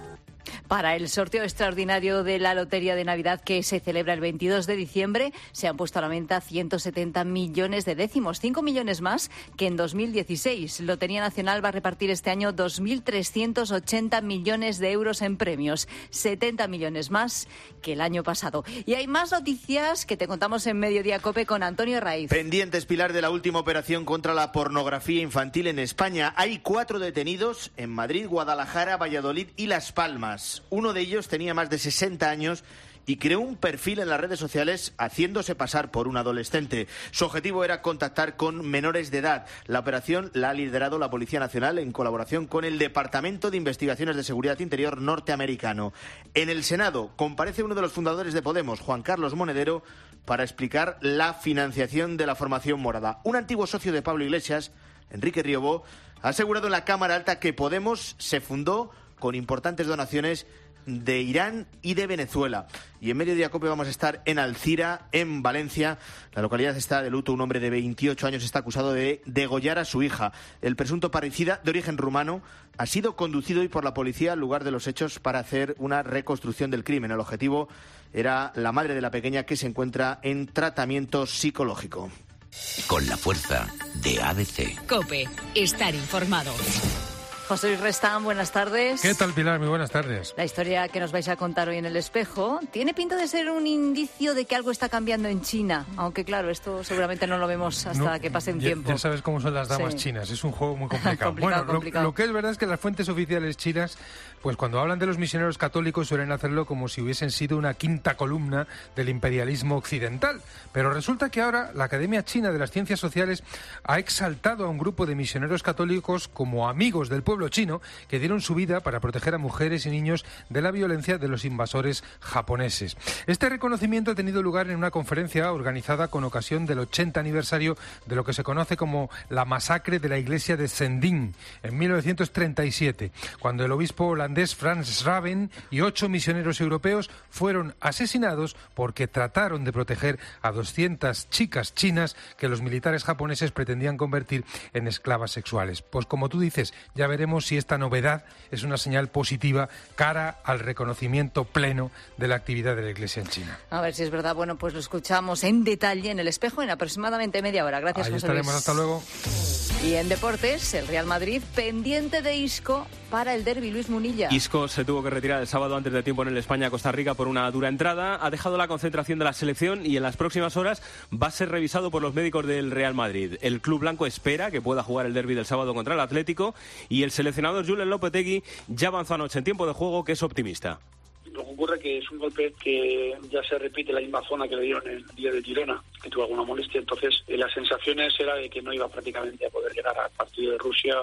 Para el sorteo extraordinario de la Lotería de Navidad que se celebra el 22 de diciembre, se han puesto a la venta 170 millones de décimos, 5 millones más que en 2016. Lotería Nacional va a repartir este año 2.380 millones de euros en premios, 70 millones más que el año pasado. Y hay más noticias que te contamos en Mediodía COPE con Antonio Raiz. Pendientes, Pilar, de la última operación contra la pornografía infantil en España. Hay 4 detenidos en Madrid, Guadalajara, Valladolid y Las Palmas. Uno de ellos tenía más de 60 años y creó un perfil en las redes sociales haciéndose pasar por un adolescente. Su objetivo era contactar con menores de edad. La operación la ha liderado la Policía Nacional en colaboración con el Departamento de Investigaciones de Seguridad Interior norteamericano. En el Senado comparece uno de los fundadores de Podemos, Juan Carlos Monedero, para explicar la financiación de la formación morada. Un antiguo socio de Pablo Iglesias, Enrique Riobó, ha asegurado en la Cámara Alta que Podemos se fundó con importantes donaciones de Irán y de Venezuela. Y en Mediodía COPE vamos a estar en Alcira, en Valencia. La localidad está de luto. Un hombre de 28 años está acusado de degollar a su hija. El presunto parricida, de origen rumano, ha sido conducido hoy por la policía al lugar de los hechos para hacer una reconstrucción del crimen. El objetivo era la madre de la pequeña, que se encuentra en tratamiento psicológico. Con la fuerza de ABC. COPE. Estar informado. José Luis Restán, buenas tardes. ¿Qué tal, Pilar? Muy buenas tardes. La historia que nos vais a contar hoy en El Espejo tiene pinta de ser un indicio de que algo está cambiando en China, aunque claro, esto seguramente no lo vemos hasta que pase un tiempo. Ya sabes cómo son las damas chinas, es un juego muy complicado. complicado. Lo que es verdad es que las fuentes oficiales chinas, pues cuando hablan de los misioneros católicos suelen hacerlo como si hubiesen sido una quinta columna del imperialismo occidental, pero resulta que ahora la Academia China de las Ciencias Sociales ha exaltado a un grupo de misioneros católicos como amigos del pueblo chino que dieron su vida para proteger a mujeres y niños de la violencia de los invasores japoneses. Este reconocimiento ha tenido lugar en una conferencia organizada con ocasión del 80 aniversario de lo que se conoce como la masacre de la iglesia de Zhending en 1937, cuando el obispo holandés Frans Raven y 8 misioneros europeos fueron asesinados porque trataron de proteger a 200 chicas chinas que los militares japoneses pretendían convertir en esclavas sexuales. Pues como tú dices, ya veremos si esta novedad es una señal positiva cara al reconocimiento pleno de la actividad de la Iglesia en China. A ver si es verdad. Bueno, pues lo escuchamos en detalle en El Espejo en aproximadamente media hora. Gracias, José Luis. Ahí estaremos, hasta luego. Y en deportes, el Real Madrid pendiente de Isco para el derbi. Luis Munilla. Isco se tuvo que retirar el sábado antes de tiempo en el España-Costa Rica por una dura entrada. Ha dejado la concentración de la selección y en las próximas horas va a ser revisado por los médicos del Real Madrid. El club blanco espera que pueda jugar el derbi del sábado contra el Atlético y el seleccionador Julen Lopetegui ya avanzó anoche en tiempo de juego, que es optimista. Lo que ocurre que es un golpe que ya se repite la misma zona que le dieron el día de Girona, que tuvo alguna molestia, entonces las sensaciones era de que no iba prácticamente a poder llegar al partido de Rusia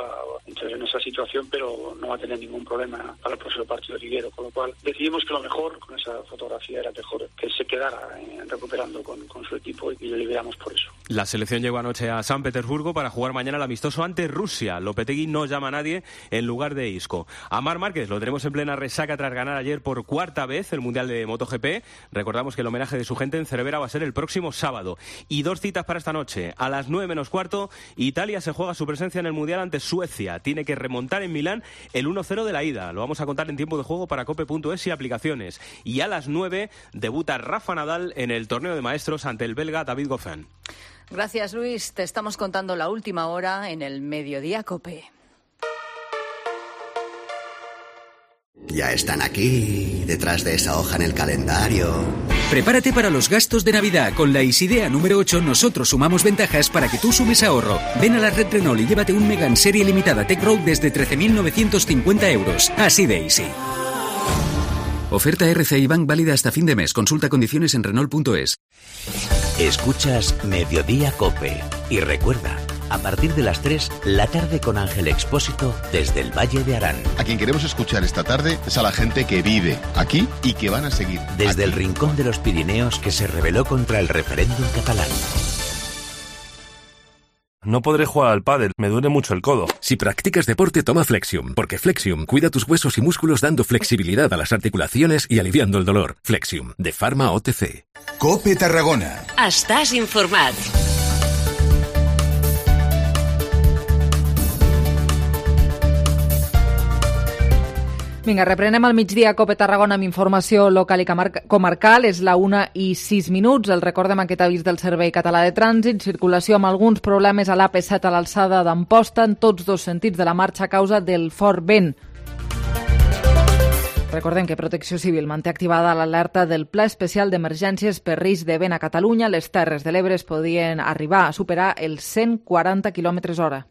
en esa situación, pero no va a tener ningún problema para el próximo partido liguero, con lo cual decidimos que lo mejor con esa fotografía era mejor que se quedara recuperando con su equipo y le liberamos por eso. La selección llegó anoche a San Petersburgo para jugar mañana el amistoso ante Rusia. Lopetegui no llama a nadie en lugar de Isco. A Marc Márquez lo tenemos en plena resaca tras ganar ayer por cuarta vez el Mundial de MotoGP. Recordamos que el homenaje de su gente en Cervera va a ser el próximo sábado. Y 2 citas para esta noche. A las 9:15, Italia se juega su presencia en el Mundial ante Suecia. Tiene que remontar en Milán el 1-0 de la ida. Lo vamos a contar en tiempo de juego para cope.es y aplicaciones. Y a las 9 debuta Rafa Nadal en el torneo de maestros ante el belga David Goffin. Gracias, Luis. Te estamos contando la última hora en el Mediodía COPE. Ya están aquí, detrás de esa hoja en el calendario. Prepárate para los gastos de Navidad. Con la Isidea número 8 nosotros sumamos ventajas para que tú sumes ahorro. Ven a la red Renault y llévate un Megane serie limitada Tech Road desde 13.950 euros. Así de easy. Oferta RCI Bank válida hasta fin de mes. Consulta condiciones en Renault.es. Escuchas Mediodía COPE. Y recuerda, a partir de las 3, la tarde con Ángel Expósito desde el Valle de Arán. A quien queremos escuchar esta tarde es a la gente que vive aquí y que van a seguir desde aquí. El rincón de los Pirineos que se rebeló contra el referéndum catalán. No podré jugar al pádel, me duele mucho el codo. Si practicas deporte, toma Flexium, porque Flexium cuida tus huesos y músculos dando flexibilidad a las articulaciones y aliviando el dolor. Flexium, de Pharma OTC. COPE Tarragona. Estàs informat. Vinga, reprenem al migdia COPE Tarragona amb informació local i comarcal. És la 1:06. El recordem aquest avís del Servei Català de Trànsit. Circulació amb alguns problemes a l'AP7 a l'alçada d'Amposta en tots dos sentits de la marxa a causa del fort vent. Recordem que Protecció Civil manté activada l'alerta del Pla Especial d'Emergències per risc de vent a Catalunya. Les Terres de l'Ebre es podien arribar a superar els 140 km/h.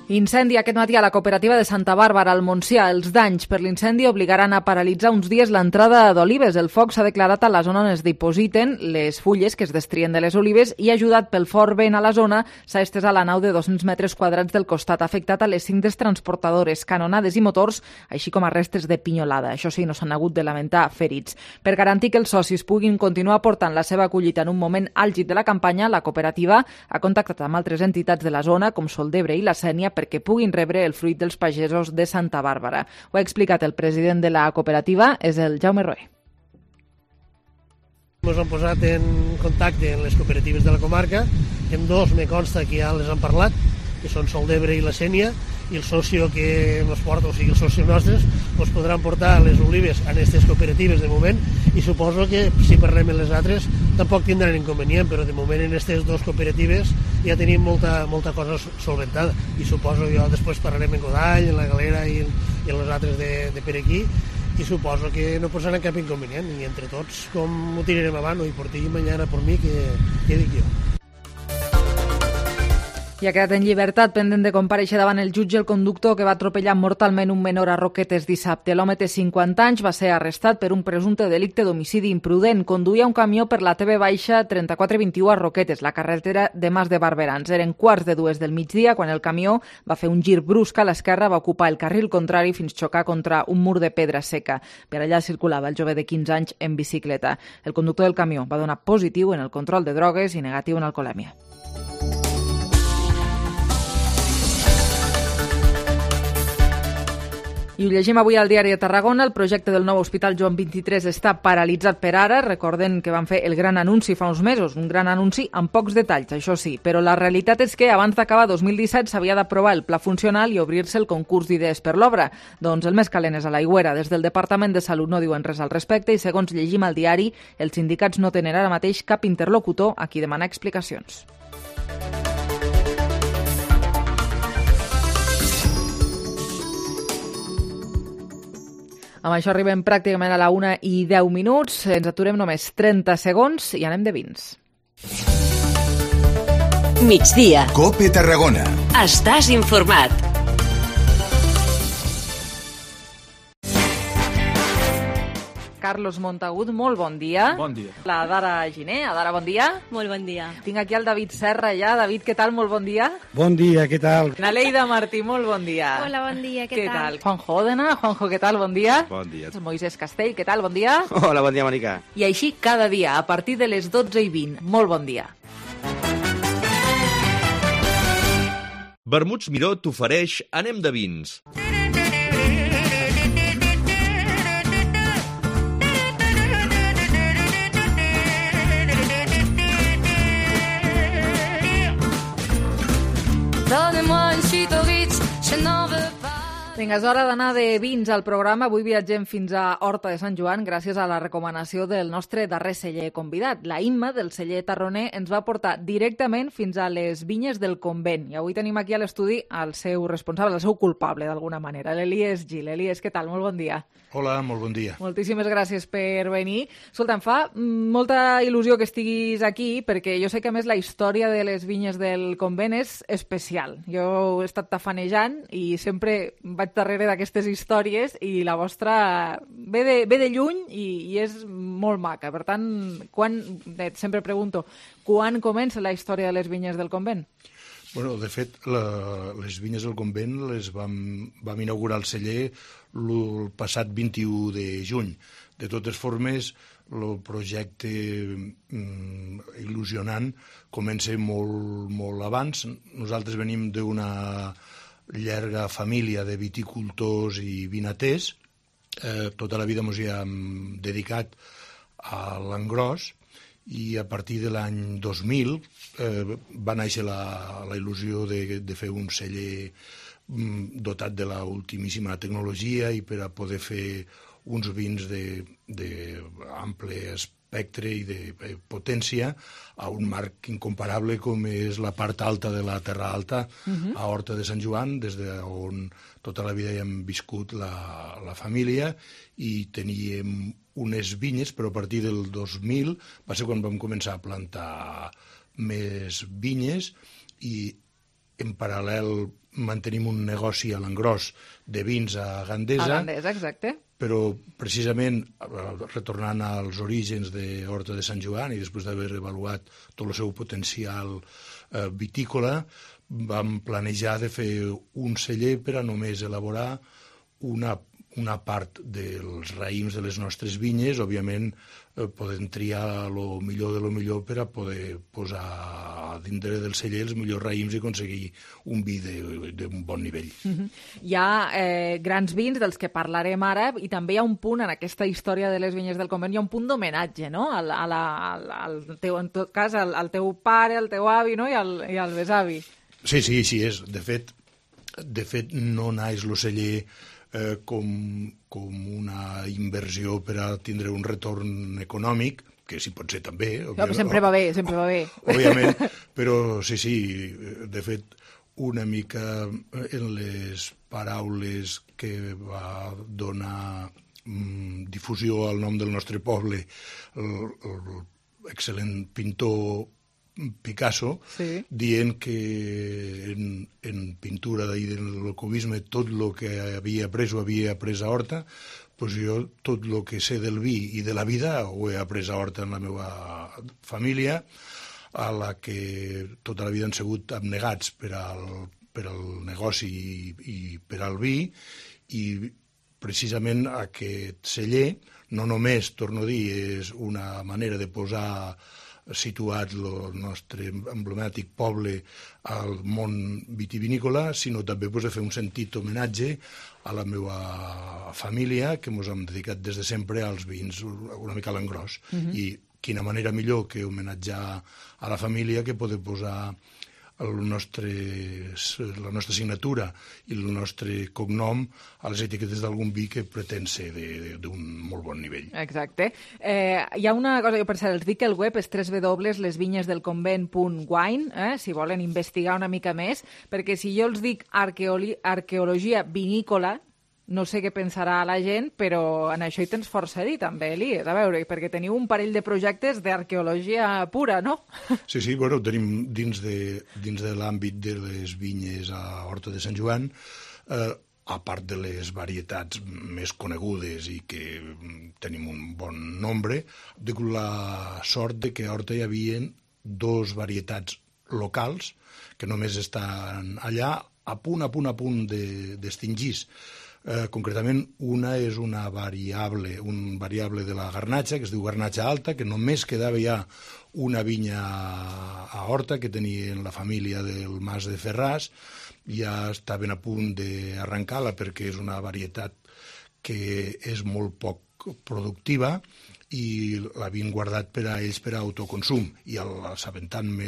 Incendi aquest matí a la cooperativa de Santa Bàrbara, al Montsià. Els danys per l'incendi obligaran a paralitzar uns dies l'entrada d'olives. El foc s'ha declarat a la zona on es dipositen les fulles que es destrien de les olives i, ajudat pel fort vent a la zona, s'ha estès a la nau de 200 metres quadrats del costat, afectat a les cintes transportadores, canonades i motors, així com a restes de pinyolada. Això sí, no s'han hagut de lamentar ferits. Per garantir que els socis puguin continuar aportant la seva collita en un moment àlgid de la campanya, la cooperativa ha contactat amb altres entitats de la zona, com Soldebre i la Sénia, perquè puguin rebre el fruit dels pagesos de Santa Bàrbara. Ho ha explicat el president de la cooperativa, és el Jaume Roé. Ens hem posat en contacte amb les cooperatives de la comarca, amb dos me consta que ja les han parlat, que són Soldebre i la Sénia, i el socio que ens porta, o sigui, els socios nostres, doncs podran portar les olives a aquestes cooperatives de moment, i suposo que si parlem en les altres tampoc tindran inconvenient, però de moment en aquestes dues cooperatives ja tenim molta cosa solventada, i suposo jo després parlarem en Godall, en la Galera i en les altres de per aquí, i suposo que no posaran cap inconvenient, i entre tots com ho tirarem avant, i por ti i mañana por mi, que dic jo. I ha quedat en llibertat, pendent de comparèixer davant el jutge, el conductor que va atropellar mortalment un menor a Roquetes dissabte. L'home té 50 anys, va ser arrestat per un presumpte delicte d'homicidi imprudent. Conduïa un camió per la TV-3421 a Roquetes, la carretera de Mas de Barberans. Eren 1:45 del migdia quan el camió va fer un gir brusc a l'esquerra, va ocupar el carril contrari fins xocar contra un mur de pedra seca. Per allà circulava el jove de 15 anys en bicicleta. El conductor del camió va donar positiu en el control de drogues i negatiu en alcoholèmia. I ho llegim avui al diari de Tarragona. El projecte del nou Hospital Joan XXIII està paralitzat per ara. Recorden que van fer el gran anunci fa uns mesos, un gran anunci amb pocs detalls, això sí. Però la realitat és que abans d'acabar 2017 s'havia d'aprovar el pla funcional i obrir-se el concurs d'idees per l'obra. Doncs el més calent és a l'Aigüera. Des del Departament de Salut no diuen res al respecte i, segons llegim al diari, els sindicats no tenen ara mateix cap interlocutor a qui demanar explicacions. Amb això arribem pràcticament a la 1:10. Ens aturem només 30 segons i anem de vins. Migdia. COPE Tarragona. Estàs informat. Carlos Montagut, molt bon dia. Bon dia. La Dara Giner, Dara, bon dia. Molt bon dia. Tinc aquí el David Serra ja. David, què tal? Molt bon dia. Bon dia, què tal? La Leida Martí, molt bon dia. Hola, bon dia, què tal? Juanjo Òdena, Juanjo, què tal? Bon dia. Bon dia. Moisés Castell, què tal? Bon dia. Hola, bon dia, Mònica. I així cada dia, a partir de les 12:20. Molt bon dia. Vermuts Miró t'ofereix Anem de vins. Donnez-moi une suite au Ritz, je n'en veux pas. Vinga, és hora d'anar de vins al programa. Avui viatgem fins a Horta de Sant Joan gràcies a la recomanació del nostre darrer celler convidat. La Imma, del celler tarroner, ens va portar directament fins a les vinyes del Convent. I avui tenim aquí a l'estudi el seu responsable, el seu culpable, d'alguna manera, l'Elies Gil. Elies, què tal? Molt bon dia. Hola, molt bon dia. Moltíssimes gràcies per venir. Escolta, em fa molta il·lusió que estiguis aquí, perquè jo sé que, a més, la història de les vinyes del Convent és especial. Jo he estat tafanejant i sempre vaig darrere d'aquestes històries i la vostra ve de lluny i és molt maca. Per tant, sempre pregunto, quan comença la història de les vinyes del Convent? Bueno, de fet, les vinyes del Convent les vam inaugurar el celler el passat 21 de juny. De totes formes, el projecte il·lusionant comença molt abans. Nosaltres venim d'una llarga família de viticultors i vinaters. Tota la vida ens hi hem dedicat a l'engròs i a partir de l'any 2000 va néixer la il·lusió de fer un celler dotat de l'ultimíssima tecnologia i per a poder fer uns vins d'ample espectre i de potència a un marc incomparable com és la part alta de la Terra Alta, a Horta de Sant Joan, des d'on tota la vida hi hem viscut la família i teníem unes vinyes, però a partir del 2000 va ser quan vam començar a plantar més vinyes i en paral·lel mantenim un negoci a l'engròs de vins a Gandesa. A Gandesa, exacte. Però precisament retornant als orígens de Horta de Sant Joan i després d'haver avaluat tot el seu potencial vitícola, vam planejar de fer un celler per a només elaborar una part dels raïms de les nostres vinyes, òbviament podem triar el millor de lo millor per a poder posar dintre del celler els millors raïms i aconseguir un vi d'un bon nivell. Hi ha grans vins dels que parlarem ara i també hi ha un punt en aquesta història de les vinyes del Convent, hi ha un punt d'homenatge, no? En tot cas, al teu pare, al teu avi, no? I al besavi. Sí, així és. De fet, no naix el celler com una inversió per a tindre un retorn econòmic, que sí pot ser també. Sempre va bé. Òbviament, però sí, de fet, una mica en les paraules que va donar difusió al nom del nostre poble l'excel·lent pintor Picasso, dient que en pintura i en el cubisme tot el que havia après ho havia après a Horta, doncs jo tot el que sé del vi i de la vida ho he après a Horta en la meva família, a la que tota la vida han sigut abnegats per al negoci i per al vi, i precisament aquest celler no només, torno a dir, és una manera de posar situat el nostre emblemàtic poble al món vitivinícola, sinó també de fer un sentit homenatge a la meva família, que ens hem dedicat des de sempre als vins una mica a l'engròs. I quina manera millor que homenatjar a la família que poder posar la nostra signatura i el nostre cognom a les etiquetes d'algun vi que pretén ser d'un molt bon nivell. Exacte. Hi ha una cosa, jo per cert, els dic que el web és www.lesvinyesdelconvent.wine, si volen investigar una mica més, perquè si jo els dic arqueologia vinícola, no sé què pensarà la gent, però en això hi tens força a dir, també, Elies. A veure, perquè teniu un parell de projectes d'arqueologia pura, no? Sí, bueno, tenim dins de l'àmbit de les vinyes a Horta de Sant Joan a part de les varietats més conegudes i que tenim un bon nombre, he tingut la sort de que a Horta hi havia 2 varietats locals que només estan allà a punt d'extingir. Concretament, una és un variable de la garnatxa, que es diu garnatxa alta, que només quedava ja una vinya a Horta que tenien la família del Mas de Ferràs, ja estaven a punt d'arrencar-la perquè és una varietat que és molt poc productiva i l'havien guardat per a ells per a autoconsum. I assabentant-me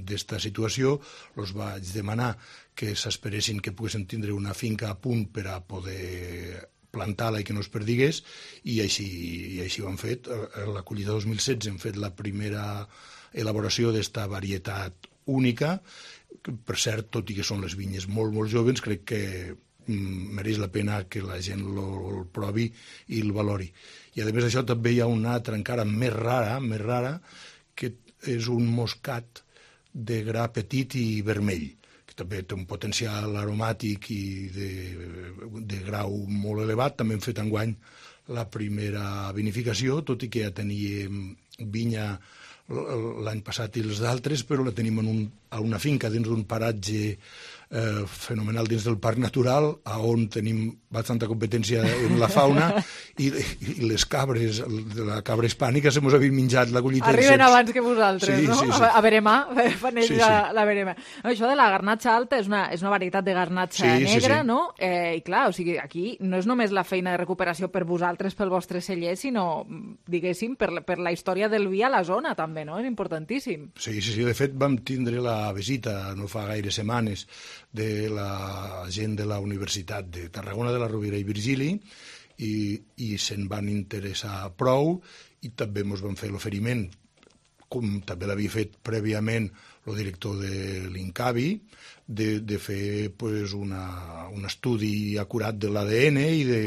d'esta situació, els vaig demanar que s'esperessin que poguessin tindre una finca a punt per a poder plantar-la i que no es perdigués, i així ho han fet. A la collita 2016 hem fet la primera elaboració d'esta varietat única. Per cert, tot i que són les vinyes molt, molt joves, crec que mereix la pena que la gent el provi i el valori. I a més d'això també hi ha una altra encara més rara, que és un moscat de gra petit i vermell, que també té un potencial aromàtic i de grau molt elevat. També hem fet enguany la primera vinificació, tot i que ja teníem vinya l'any passat i els d'altres, però la tenim a una finca dins d'un paratge fenomenal dins del Parc Natural, on tenim bastanta competència en la fauna, i les cabres, de la cabra hispànica, se mos havien menjat la collita. Arriben abans que vosaltres, sí, no? Sí. A veremà, fan ells la verema. Això de la garnatxa alta és una varietat de garnatxa negra, no? I clar, o sigui, aquí no és només la feina de recuperació per vosaltres, pel vostre celler, sinó, diguéssim, per la història del vi a la zona, també, no? És importantíssim. Sí. De fet, vam tindre la visita, no fa gaire setmanes, de la gent de la Universitat de Tarragona, de la Rovira i Virgili, i se'n van interessar prou, i també ens van fer l'oferiment, com també l'havia fet prèviament el director de l'Incavi, de fer un estudi acurat de l'ADN i de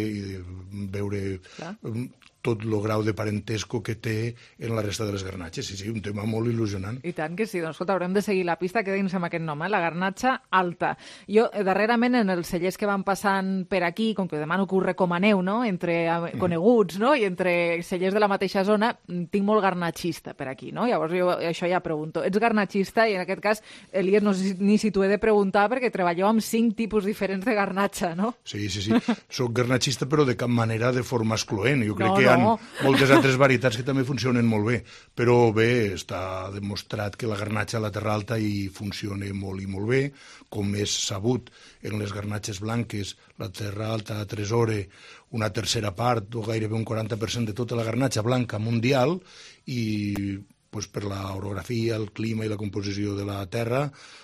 veure tot el grau de parentesco que té en la resta de les garnatxes. Sí, un tema molt il·lusionant. I tant que sí. Doncs, escolta, haurem de seguir la pista, quedin-se amb aquest nom, la garnatxa alta. Jo, darrerament, en els cellers que van passant per aquí, com que demano que ho recomaneu, no?, entre coneguts, no?, i entre cellers de la mateixa zona, tinc molt garnatxista per aquí, no? Llavors jo això ja pregunto. Ets garnatxista i en aquest cas, Elies, no sé ni si t'ho he de preguntar perquè treballeu amb 5 tipus diferents de garnatxa, no? Sí. Soc garnatxista, però de cap manera de forma excloent. Jo crec que hi ha moltes altres varietats que també funcionen molt bé, però bé, està demostrat que la garnatxa a la Terra Alta hi funciona molt i molt bé, com és sabut en les garnatxes blanques, la Terra Alta atresora una tercera part o gairebé un 40% de tota la garnatxa blanca mundial, i per l'orografia, el clima i la composició de la terra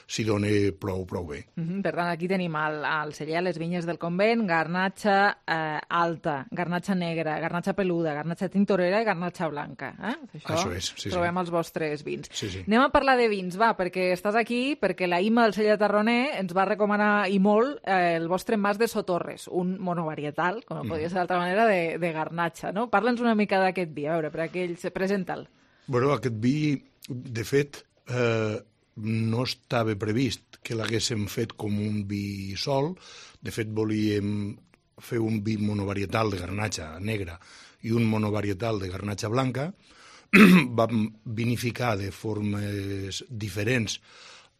s'hi dona prou bé. Per tant, aquí tenim al celler, les vinyes del convent, garnatxa alta, garnatxa negra, garnatxa peluda, garnatxa tintorera i garnatxa blanca. Això és, sí. Trobem els vostres vins. Sí. Anem a parlar de vins, perquè estàs aquí, perquè la Ima del celler de Tarroner ens va recomanar i molt el vostre Mas de Sotorres, un monovarietal, com no podia ser d'altra manera, de garnatxa, no? Parla'ns una mica d'aquest vi, a veure, per aquells... Presenta'l. Bueno, aquest vi, de fet, no estava previst que l'haguéssim fet com un vi sol. De fet, volíem fer un vi monovarietal de garnatxa negra i un monovarietal de garnatxa blanca. Vam vinificar de formes diferents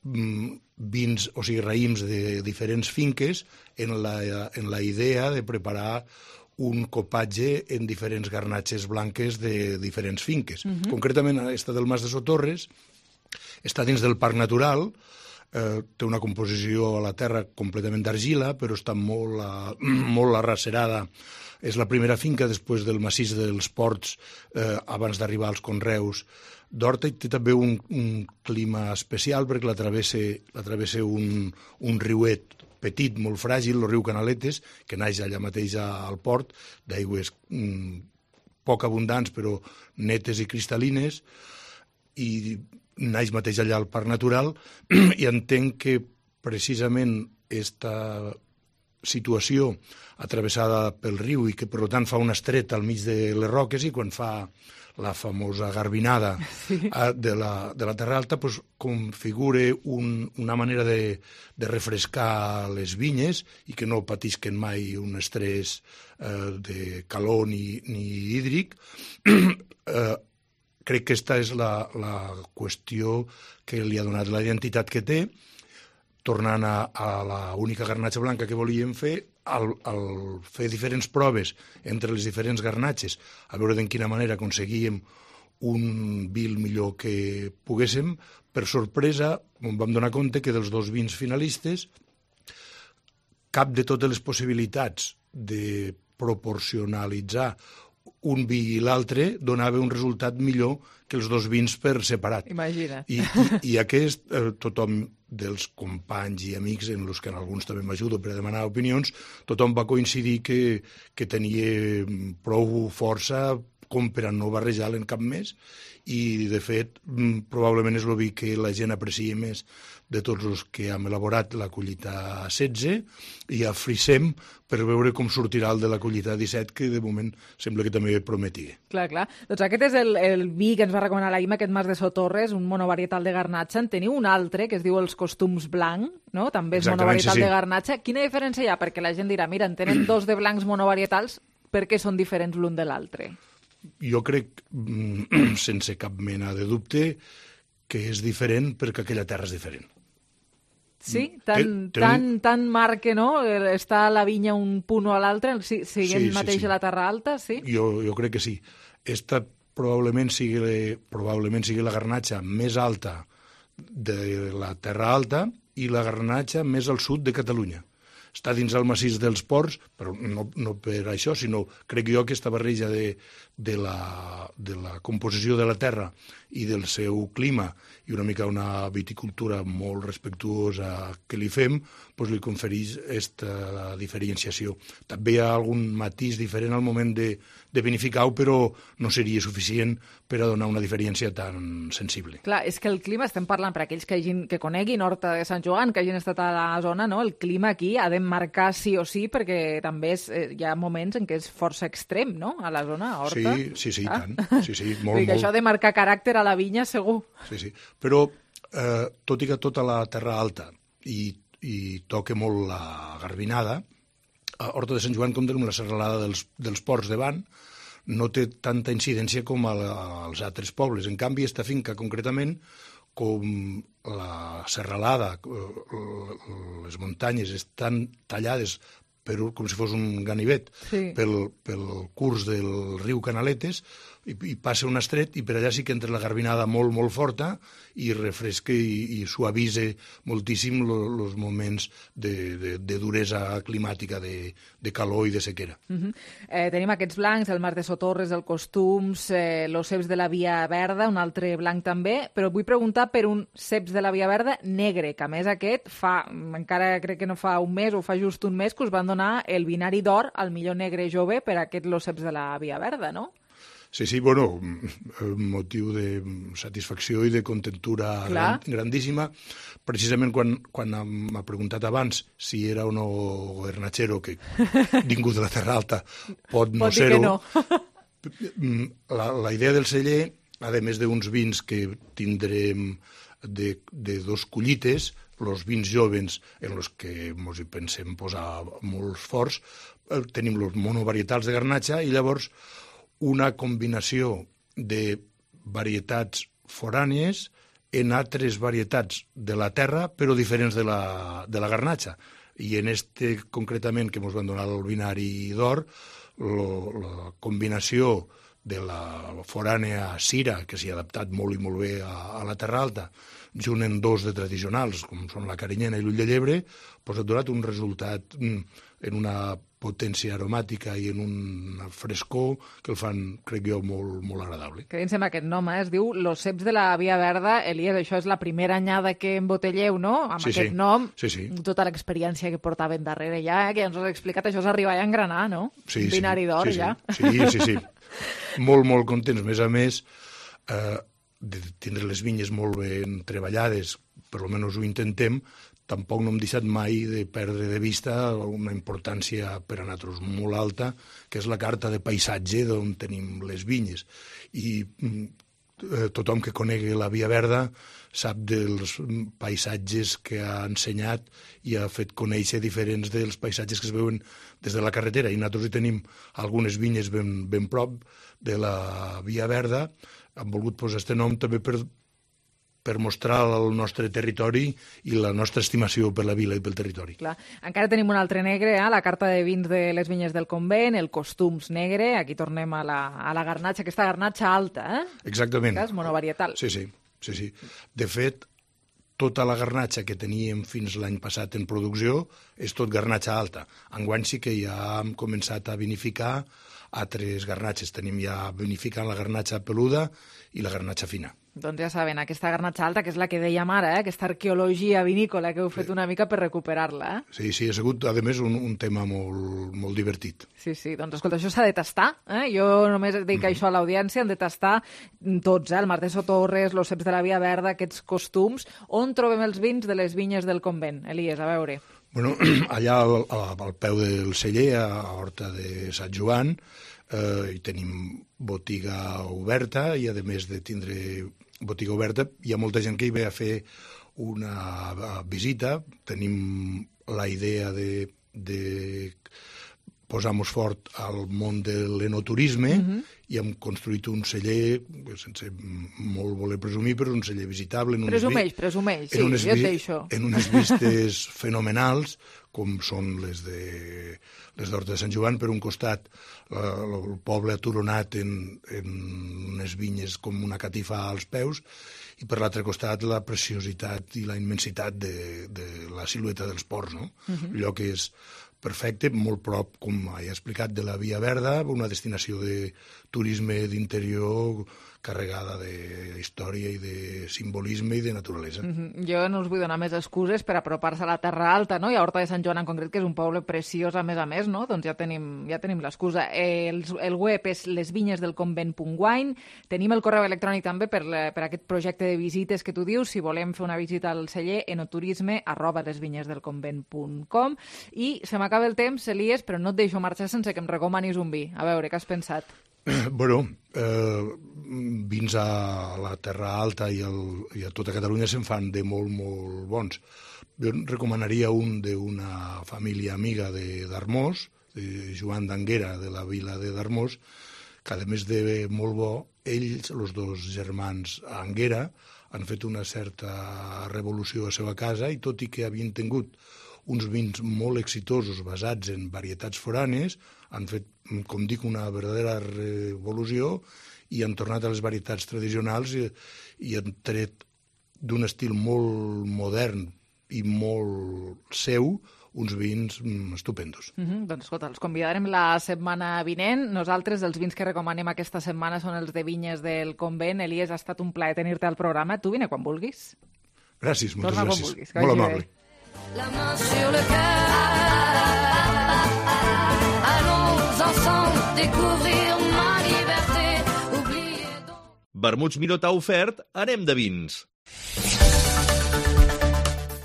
vins, o sigui, raïms de diferents finques en la idea de preparar un copatge en diferents garnatxes blanques de diferents finques. Concretament, esta del Mas de Sotorres està dins del Parc Natural, té una composició a la terra completament d'argila, però està molt arracerada. És la primera finca després del massís dels Ports, abans d'arribar als conreus d'Horta, i té també un clima especial perquè la travessa un riuet petit, molt fràgil, el riu Canaletes, que naix allà mateix al port, d'aigües poc abundants però netes i cristal·lines, i naix mateix allà al Parc Natural, i entenc que precisament aquesta situació atravessada pel riu i que per tant fa una estreta al mig de les roques, i quan fa la famosa garbinada de la Terra Alta, pues, configura una manera de refrescar les vinyes i que no patisquen mai un estrès de calor ni hídric. Crec que aquesta és la qüestió que li ha donat la identitat que té. Tornant a l'única garnatxa blanca que volíem fer, al fer diferents proves entre les diferents garnatxes, a veure de quina manera aconseguíem un vi el millor que poguéssim, per sorpresa em vam donar compte que dels 2 vins finalistes cap de totes les possibilitats de proporcionalitzar un vi i l'altre donava un resultat millor que els 2 vins per separat. Imagina't. I aquest, tothom dels companys i amics, en els que en alguns també m'ajudo per a demanar opinions, tothom va coincidir que tenia prou força com per a no barrejar-lo en cap més, i de fet probablement és el vi que la gent aprecia més de tots els que hem elaborat la collita 16, i afrissem per veure com sortirà el de la collita 17, que de moment sembla que també prometia. Clar. Doncs aquest és el vi que ens va recomanar la Ima, aquest Mas de Sotorres, un monovarietal de garnatxa. En teniu un altre que es diu els Costums Blanc, no? També és monovarietal de garnatxa. Quina diferència hi ha? Perquè la gent dirà, mira, en tenen 2 de blancs monovarietals, per què són diferents l'un de l'altre? Jo crec, sense cap mena de dubte, que és diferent perquè aquella terra és diferent. Sí? Tan marque, no? Està a la vinya un punt o a l'altre, siguent mateix a la Terra Alta, sí? Jo crec que sí. Esta probablement sigui la garnatxa més alta de la Terra Alta i la garnatxa més al sud de Catalunya. Està dins el massís dels Ports, però no per això, sinó crec jo que aquesta barreja de la composició de la terra i del seu clima i una mica una viticultura molt respectuosa que li fem, doncs li confereix aquesta diferenciació. També hi ha algun matís diferent al moment de vinificar-ho, però no seria suficient per a donar una diferència tan sensible. Clar, és que el clima, estem parlant per aquells que coneguin Horta de Sant Joan, que hagin estat a la zona, no? El clima aquí ha de marcar sí o sí, perquè també hi ha moments en què és força extrem, no?, a la zona, a Horta. Sí, i tant. Sí, molt. Això ha de marcar caràcter a la vinya, segur. Sí. Però, tot i que tota la Terra Alta i toca molt la garbinada, a Horta de Sant Joan compta amb la serralada dels Ports de Ban, no té tanta incidència com als altres pobles. En canvi, aquesta finca, concretament, com la serralada, les muntanyes estan tallades com si fos un ganivet pel curs del riu Canaletes, i passa un estret, i per allà sí que entra la garbinada molt, molt forta i refresca i suavisa moltíssim els moments de duresa climàtica, de calor i de sequera. Tenim aquests blancs, el Mas de Sotorres, el Costums, los ceps de la Via Verda, un altre blanc també, però vull preguntar per un ceps de la Via Verda negre, que a més aquest encara crec que no fa un mes o fa just un mes que us van donar el binari d'or al millor negre jove per aquest los ceps de la Via Verda, no? Sí, bueno, motiu de satisfacció i de contentura grandíssima. Precisament quan m'ha preguntat abans si era o no Gobernachero, que ningú de la Terra Alta pot no ser-ho. La idea del celler, a més d'uns vins que tindrem de 2 collites, els vins jovens en els que ens hi pensem posar molts forts, tenim els monovarietals de garnatxa i llavors una combinació de varietats forànies en altres varietats de la terra, però diferents de la garnatxa. I en este, concretament, que ens van donar el binari d'or, la combinació de la forànea Sira, que s'hi ha adaptat molt i molt bé a la Terra Alta, junt en 2 de tradicionals, com són la carinyena i l'ull de llebre, doncs ha donat un resultat en una potència aromàtica i en un frescor que el fan, crec jo, molt, molt agradable. Quedin-se amb aquest nom, es diu Los ceps de la Via Verda. Elias, això és la primera anyada que embotelleu, no? Amb aquest nom, tota l'experiència que portaven darrere ja, que ja ens has explicat, això s'arriba ja a engranar, no? Un binari d'or, ja. Sí. Molt, molt contents. A més, de tindre les vinyes molt ben treballades, per almenys ho intentem, tampoc no hem deixat mai de perdre de vista una importància per a nosaltres molt alta, que és la carta de paisatge d'on tenim les vinyes. I tothom que conegui la Via Verda sap dels paisatges que ha ensenyat i ha fet conèixer diferents dels paisatges que es veuen des de la carretera. I nosaltres hi tenim algunes vinyes ben prop de la Via Verda. Hem volgut posar aquest nom també per mostrar el nostre territori i la nostra estimació per la vila i pel territori. Clar. Encara tenim un altre negre, la carta de vins de les vinyes del Convent, el Costums negre, aquí tornem a la garnatxa, aquesta garnatxa alta, Exactament. Que és monovarietal. Sí. De fet, tota la garnatxa que teníem fins l'any passat en producció és tot garnatxa alta. Enguany sí que ja hem començat a vinificar altres garnatxes. Tenim ja vinificant la garnatxa peluda i la garnatxa fina. Doncs ja saben, aquesta garnatxa alta, que és la que dèiem ara, aquesta arqueologia vinícola que heu fet una mica per recuperar-la. Sí, ha sigut, a més, un tema molt divertit. Sí, doncs escolta, això s'ha de tastar. Jo només dic això a l'audiència, han de tastar tots, el Martesó Torres, los ceps de la Via Verda, aquests costums. On trobem els vins de les vinyes del Convent? Elies, a veure. Bueno, allà al peu del celler, a Horta de Sant Joan, hi tenim botiga oberta i, a més de tindre botiga oberta, hi ha molta gent que hi ve a fer una visita. Tenim la idea de posar-nos fort al món de l'enoturisme i hem construït un celler, sense molt voler presumir, però un celler visitable. Presumeix, sí, jo et deixo. En unes vistes fenomenals, com són les d'Horta de Sant Joan, per un costat el poble aturonat en unes vinyes com una catifa als peus, i per l'altre costat la preciositat i la immensitat de la silueta dels ports, no? Allò que és perfecte, molt prop, com he explicat, de la Via Verda, una destinació de turisme d'interior carregada de història i de simbolisme i de naturalesa. Jo no us vull donar més excuses per apropar-se a la Terra Alta, no? I a Horta de Sant Joan en concret, que és un poble preciós a més, no? Doncs ja tenim l'excusa. El web és lesvinyesdelconvent.wine. Tenim el correu electrònic també per aquest projecte de visites que tu dius, si volem fer una visita al celler, enoturisme@lesvinyesdelconvent.com. I se m'acaba el temps, Elies, però no et deixo marxar sense que em recomanis un vi. A veure, què has pensat? Bueno, vins a la Terra Alta i a tota Catalunya se'n fan de molt, molt bons. Jo recomanaria un d'una família amiga d'Armós, de Joan d'Anguera, de la vila de d'Armós, que a més de molt bo, ells, els dos germans Anguera, han fet una certa revolució a la seva casa i tot i que havien tingut uns vins molt exitosos basats en varietats foranes, han fet, com dic, una verdadera revolució i han tornat a les varietats tradicionals i han tret d'un estil molt modern i molt seu uns vins estupendos. Doncs escolta, els convidarem la setmana vinent. Nosaltres, els vins que recomanem aquesta setmana són els de vinyes del Convent. Elies, ha estat un plaer tenir-te al programa. Tu vine quan vulguis. Gràcies, moltes Torna gràcies. Quan vulguis, molt amable. La main sur le cœur, allons ensemble découvrir ma liberté, oublier donc... Vermuts Miró t'ha ofert Anem de vins.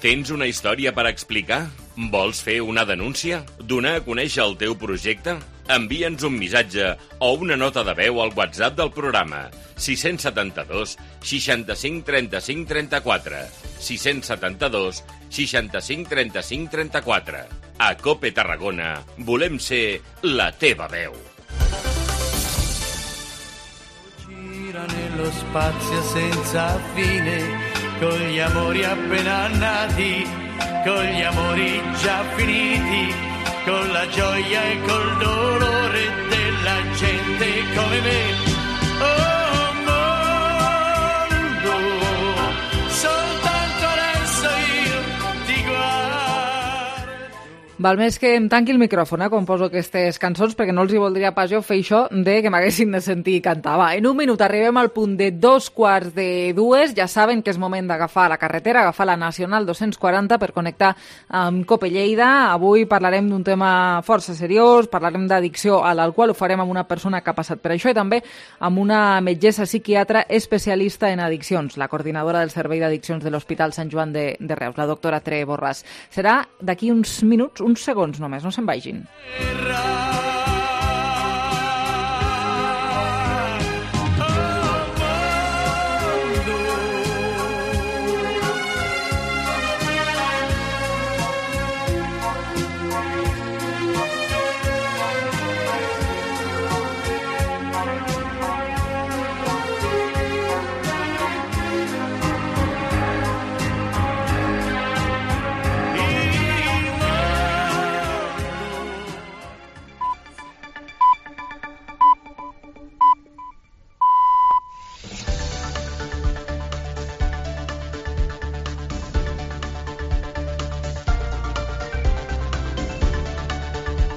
Tens una història per explicar? Vols fer una denúncia? Donar a conèixer el teu projecte? Envia'ns un missatge o una nota de veu al WhatsApp del programa 672 65 35 34 672 65 35 34. A COPE Tarragona volem ser la teva veu. Gira nello spazio senza fine, con gli amori appena nati, con gli amori già finiti, con la gioia e col dolore della gente come me. Oh mondo, soltanto adesso io ti guardo. Val més que em tanqui el micròfon quan poso aquestes cançons, perquè no els hi voldria pas jo fer això de que m'haguessin de sentir cantar. Va, en un minut arribem al punt de 2:45. Ja saben que és moment d'agafar la carretera, agafar la Nacional 240 per connectar amb Cope Lleida. Avui parlarem d'un tema força seriós, parlarem d'addicció a l'alcohol, ho farem amb una persona que ha passat per això i també amb una metgessa psiquiatra especialista en addiccions, la coordinadora del Servei d'Addiccions de l'Hospital Sant Joan de Reus, la doctora Tere Borràs. Serà d'aquí uns minuts, uns segons només, no se'n vagin.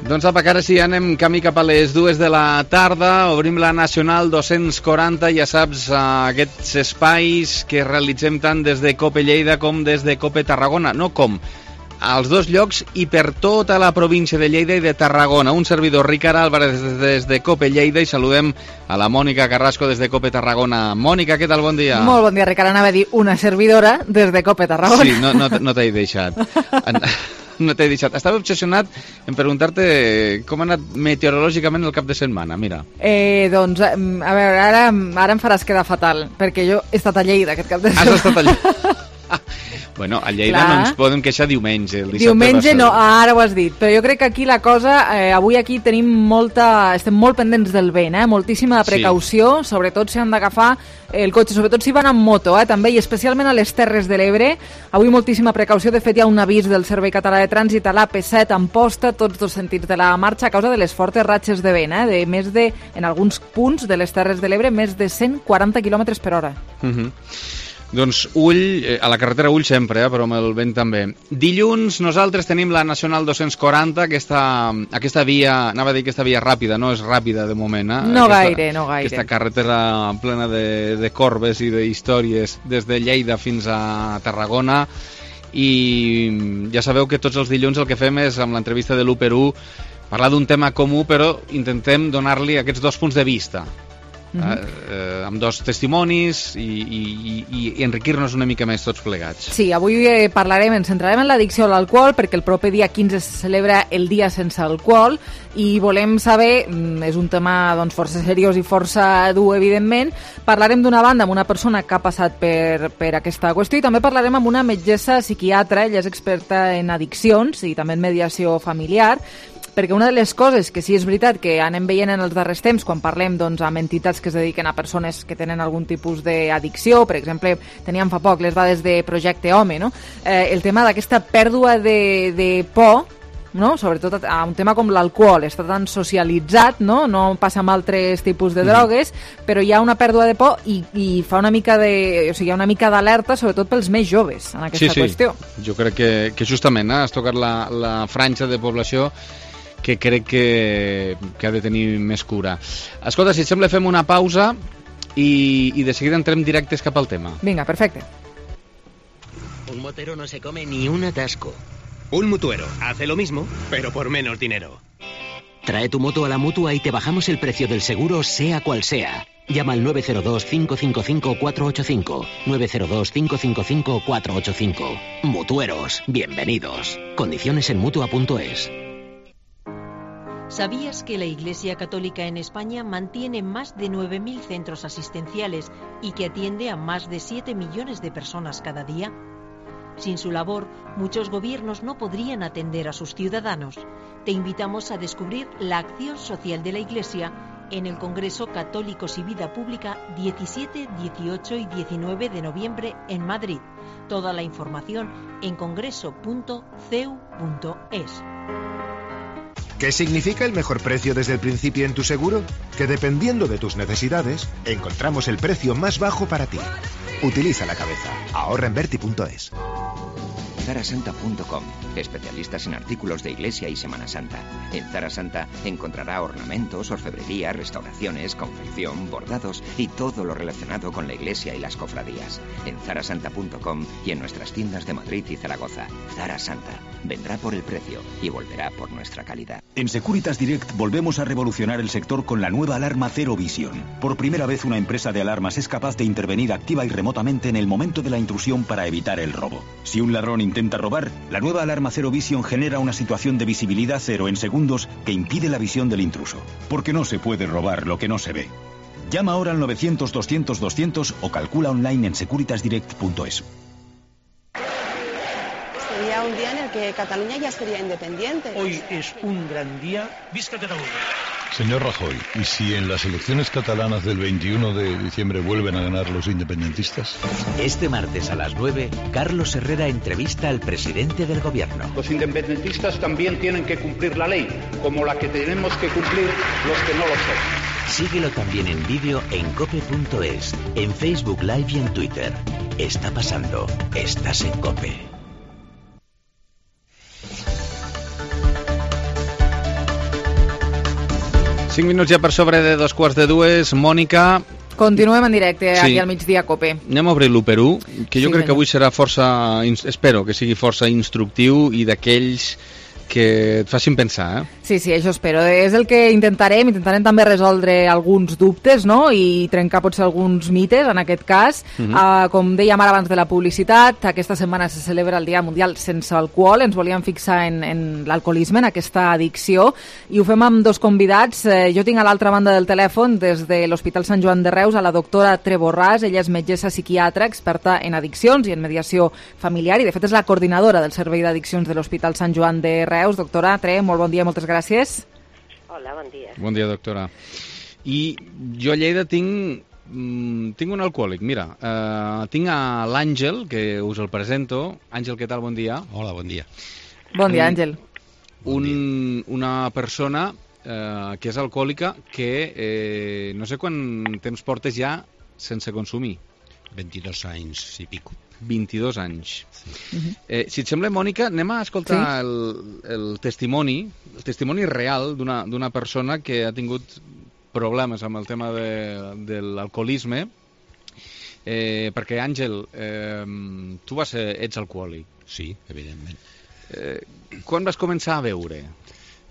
Doncs apa, que ara sí, anem camí cap a les 2 de la tarda, obrim la Nacional 240, ja saps, aquests espais que realitzem tant des de Cope Lleida com des de Cope Tarragona, no com, als dos llocs i per tota la província de Lleida i de Tarragona. Un servidor, Ricard Álvarez, des de Cope Lleida, i saludem a la Mònica Carrasco des de Cope Tarragona. Mònica, què tal? Bon dia. Molt bon dia, Ricard. Anava a dir una servidora des de Cope Tarragona. Sí, no t'he deixat. No t'he deixat. Estava obsessionat en preguntar-te com ha anat meteorològicament el cap de setmana, mira. Doncs, a veure, ara em faràs quedar fatal, perquè jo he estat a Lleida aquest cap de setmana. Has estat a Lleida? Bueno, a Lleida no ens podem queixar diumenge. El diumenge no, ara ho has dit, però jo crec que aquí la cosa, avui aquí estem molt pendents del vent, moltíssima precaució, sí. Sobretot si han d'agafar el cotxe, sobretot si van amb moto, també, i especialment a les Terres de l'Ebre. Avui moltíssima precaució, de fet hi ha un avís del Servei Català de Trànsit a l'AP7 en posta, tots dos sentits de la marxa, a causa de les fortes ratxes de vent, de més de, en alguns punts de les Terres de l'Ebre, més de 140 km per hora. Doncs ull, a la carretera ull sempre, però amb el vent també. Dilluns nosaltres tenim la Nacional 240, aquesta via, anava a dir aquesta via ràpida, no és ràpida de moment. No gaire. Aquesta carretera plena de corbes i d'històries des de Lleida fins a Tarragona, i ja sabeu que tots els dilluns el que fem és, amb l'entrevista de l'1x1, parlar d'un tema comú, però intentem donar-li aquests dos punts de vista. Amb dos testimonis i enriquir-nos una mica més tots plegats. Sí, avui ens centrarem en l'addicció a l'alcohol, perquè el proper dia 15 se celebra el dia sense alcohol i volem saber, és un tema força seriós i força dur, evidentment. Parlarem d'una banda amb una persona que ha passat per aquesta qüestió, i també parlarem amb una metgessa psiquiatra. Ella és experta en addiccions i també en mediació familiar, perquè una de les coses que sí és veritat que anem veient en els darrers temps, quan parlem amb entitats que es dediquen a persones que tenen algun tipus d'addicció, per exemple, teníem fa poc les dades de Projecte Home, no? El tema d'aquesta pèrdua de por, no? Sobretot a un tema com l'alcohol, està tan socialitzat, no passa amb altres tipus de drogues, però hi ha una pèrdua de por i fa una mica hi ha una mica d'alerta, sobretot pels més joves, en aquesta qüestió. Jo crec que justament has tocat la franja de població que crec que ha de tenir més cura. Escolta, si et sembla, fem una pausa y de seguida entrem directes cap al tema. Venga, perfecto. Un motero no se come ni un atasco. Un mutuero hace lo mismo, pero por menos dinero. Trae tu moto a la Mutua y te bajamos el precio del seguro, sea cual sea. Llama al 902-555-485. 902-555-485. Mutueros, bienvenidos. Condiciones en Mutua.es. ¿Sabías que la Iglesia Católica en España mantiene más de 9.000 centros asistenciales y que atiende a más de 7 millones de personas cada día? Sin su labor, muchos gobiernos no podrían atender a sus ciudadanos. Te invitamos a descubrir la acción social de la Iglesia en el Congreso Católicos y Vida Pública 17, 18 y 19 de noviembre en Madrid. Toda la información en congreso.ceu.es. ¿Qué significa el mejor precio desde el principio en tu seguro? Que dependiendo de tus necesidades, encontramos el precio más bajo para ti. Utiliza la cabeza. Ahorra en Verti.es. zarasanta.com, especialistas en artículos de iglesia y Semana Santa. En Zara Santa encontrará ornamentos, orfebrería, restauraciones, confección, bordados y todo lo relacionado con la iglesia y las cofradías. En zarasanta.com y en nuestras tiendas de Madrid y Zaragoza. Zara Santa vendrá por el precio y volverá por nuestra calidad. En Securitas Direct volvemos a revolucionar el sector con la nueva alarma Zero Vision. Por primera vez una empresa de alarmas es capaz de intervenir activa y remotamente en el momento de la intrusión para evitar el robo. Si un ladrón intenta robar, la nueva alarma Zero Vision genera una situación de visibilidad cero en segundos que impide la visión del intruso. Porque no se puede robar lo que no se ve. Llama ahora al 900-200-200 o calcula online en securitasdirect.es. Sería un día en el que Cataluña ya sería independiente. Hoy es un gran día. ¡Visca Cataluña! Señor Rajoy, ¿y si en las elecciones catalanas del 21 de diciembre vuelven a ganar los independentistas? Este martes a las 9, Carlos Herrera entrevista al presidente del gobierno. Los independentistas también tienen que cumplir la ley, como la que tenemos que cumplir los que no lo son. Síguelo también en vídeo en cope.es, en Facebook Live y en Twitter. Está pasando. Estás en COPE. Cinc minuts ja per sobre de 2:45. Mònica... Continuem en directe Sí. aquí al migdia COPE. Anem a obrir l'1x1, que jo Sí, crec que senyor. avui serà força... Espero que sigui força instructiu i d'aquells que et facin pensar, Sí, això espero. És el que intentarem també resoldre alguns dubtes, no?, i trencar potser alguns mites, en aquest cas. Com dèiem ara abans de la publicitat, aquesta setmana se celebra el Dia Mundial Sense Alcohol. Ens volíem fixar en l'alcoholisme, en aquesta addicció, i ho fem amb dos convidats. Jo tinc a l'altra banda del telèfon, des de l'Hospital Sant Joan de Reus, a la doctora Tre Borràs. Ella és metgessa psiquiatra, experta en addiccions i en mediació familiar, i de fet és la coordinadora del Servei d'Addiccions de l'Hospital Sant Joan de Reus. Doctora Tre, molt bon dia, moltes gràcies. Hola, bon dia. Bon dia, doctora. I jo a Lleida tinc un alcohòlic, mira. Tinc a l'Àngel, que us el presento. Àngel, què tal? Bon dia. Hola, bon dia. Bon dia, Àngel. Una persona que és alcohòlica que no sé quant temps portes ja sense consumir. 22 anys i pico. 22 anys. Sí. Si et sembla, Mònica, anem a escoltar el testimoni real d'una persona que ha tingut problemes amb el tema de l'alcoholisme, perquè, Àngel, tu ets alcohòlic. Sí, evidentment. Quan vas començar a beure?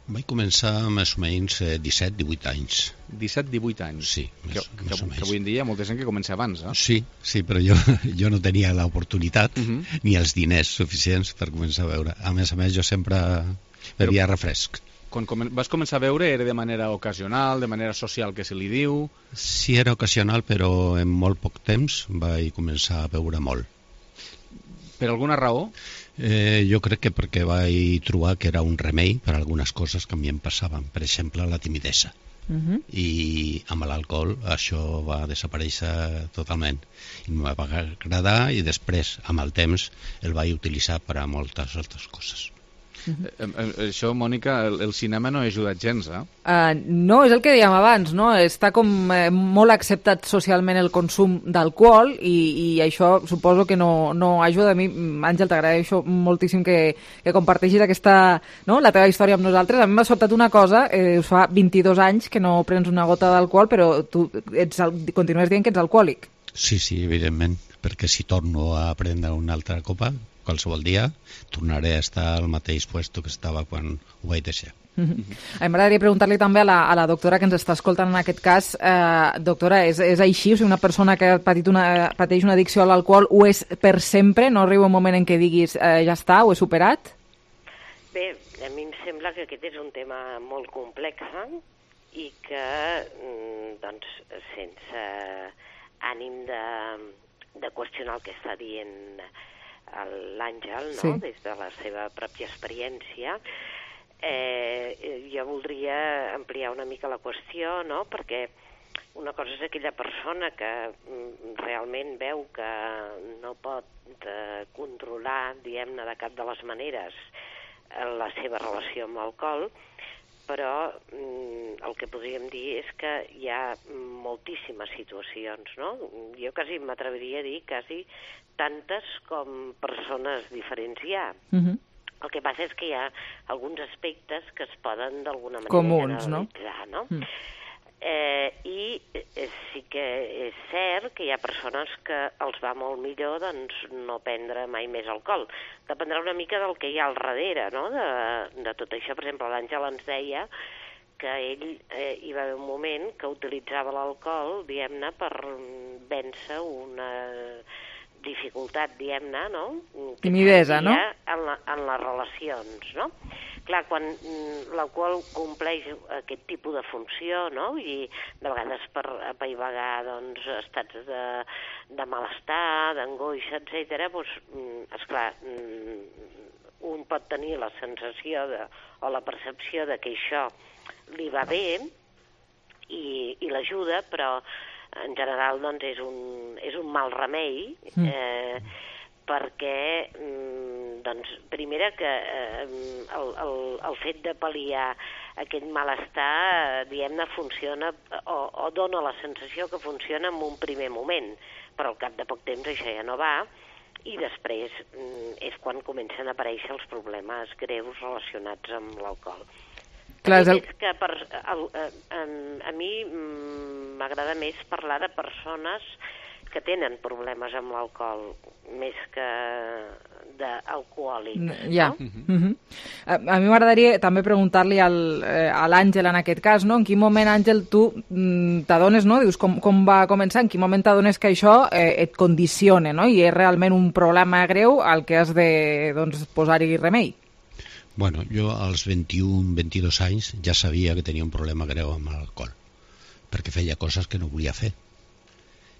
Vaig començar més o menys 17-18 anys. 17-18 anys? Sí, més o menys. Que avui en dia hi ha molta gent que comença abans, eh? Sí, però jo no tenia l'oportunitat ni els diners suficients per començar a beure. A més, jo sempre bevia refresc. Quan vas començar a beure era de manera ocasional, de manera social, que se li diu? Sí, era ocasional, però en molt poc temps vaig començar a beure molt. Per alguna raó? Jo crec que perquè vaig trobar que era un remei per a algunes coses que a mi em passaven. Per exemple, la timidesa. I amb l'alcohol això va desaparèixer totalment. I em va agradar i després, amb el temps, el vaig utilitzar per a moltes altres coses. Això, Mònica, el cinema no ha ajudat gens, eh? No, és el que dèiem abans, no? Està com molt acceptat socialment el consum d'alcohol i això suposo que no ajuda. A mi, Àngel, t'agraeixo moltíssim que comparteixis aquesta, no?, la teva història amb nosaltres. A mi m'ha sobtat una cosa, us fa 22 anys que no prens una gota d'alcohol, però tu continues dient que ets alcohòlic. Sí, evidentment, perquè si torno a prendre una altra copa, qualsevol dia, tornaré a estar al mateix puesto que estava quan ho vaig deixar. A mi m'agradaria preguntar-li també a la doctora que ens està escoltant en aquest cas. Doctora, és així? O sigui, una persona que pateix una addicció a l'alcohol ho és per sempre? No arriba un moment en què diguis ja està, ho he superat? Bé, a mi em sembla que aquest és un tema molt complex i que, doncs, sense ànim de qüestionar el que està dient l'Àngel, no?, des de la seva pròpia experiència, jo voldria ampliar una mica la qüestió, no?, perquè una cosa és aquella persona que realment veu que no pot controlar, diguem-ne, de cap de les maneres la seva relació amb l'alcohol, però el que podríem dir és que hi ha moltíssimes situacions, no? Jo quasi m'atreviria a dir quasi tantes com persones diferents hi ha. El que passa és que hi ha alguns aspectes que es poden d'alguna manera generalitzar, no? I sí que és cert que hi ha persones que els va molt millor doncs, no prendre mai més alcohol. Dependrà una mica del que hi ha al darrere, no? De tot això. Per exemple, l'Àngel ens deia que ell hi va haver un moment que utilitzava l'alcohol, diguem-ne, per vèncer una dificultat, diguem-ne, no? Timidesa, no? En les relacions, no? Clar, quan l'alcohol compleix aquest tipus de funció, no? I de vegades per apaivagar doncs, estats de malestar, d'angoixa, etc., doncs, esclar, un pot tenir la sensació o la percepció de que això li va bé i l'ajuda, però en general doncs, és un mal remei, perquè doncs, primera que el fet de pal·liar aquest malestar, diguem-ne, funciona o dona la sensació que funciona en un primer moment, però al cap de poc temps això ja no va, i després és quan comencen a aparèixer els problemes greus relacionats amb l'alcohol. Clar, és que a mi m'agrada més parlar de persones que tenen problemes amb l'alcohol, més que d'alcohòlics. Ja. No? A mi m'agradaria també preguntar-li a l'Àngel en aquest cas, no? En quin moment, Àngel, tu t'adones, no? Dius com va començar, en quin moment t'adones que això et condiciona, no? I és realment un problema greu al que has de posar-hi remei. Bueno, jo als 21-22 anys ja sabia que tenia un problema greu amb l'alcohol, perquè feia coses que no volia fer